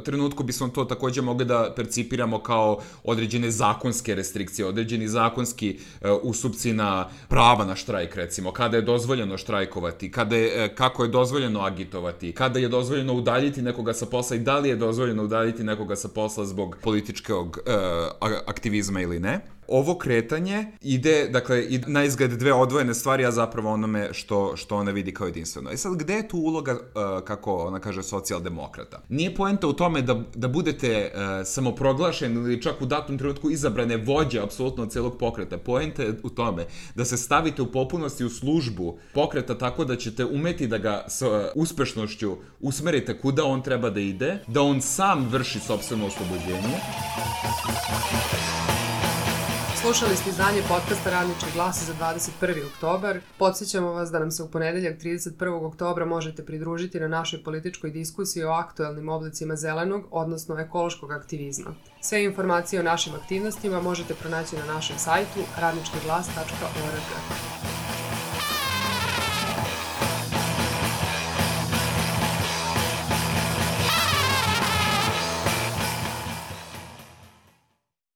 trenutku bismo to takođe mogli da percipiramo kao određene zakonske restrikcije, određeni zakonski e, ustupci na prava na štrajk, recimo, kada je dozvoljeno štrajkovati, kada je, e, kako je dozvoljeno agitovati, kada je dozvoljeno udaljiti nekoga sa posla i da li je dozvoljeno udaljiti nekoga sa posla zbog političkog e, aktivizma ili ne. Ovo kretanje ide, dakle, na izgled dve odvojene stvari, a zapravo onome što, što ona vidi kao jedinstveno. I sad, gde je tu uloga, uh, kako ona kaže, socijaldemokrata? Nije poenta u tome da, da budete uh, samoproglašeni ili čak u datom trenutku izabrane vođe apsolutno od celog pokreta. Poenta je u tome da se stavite u potpunosti u službu pokreta tako da ćete umeti da ga sa uh, uspešnošću usmerite kuda on treba da ide, da on sam vrši sopstveno oslobođenje. Slušali ste izdanje podcasta Radnički glas za dvadeset prvi oktobar. Podsjećamo vas da nam se u ponedeljak trideset prvog oktobra možete pridružiti na našoj političkoj diskusiji o aktuelnim oblicima zelenog, odnosno ekološkog aktivizma. Sve informacije o našim aktivnostima možete pronaći na našem sajtu radnički glas tačka org.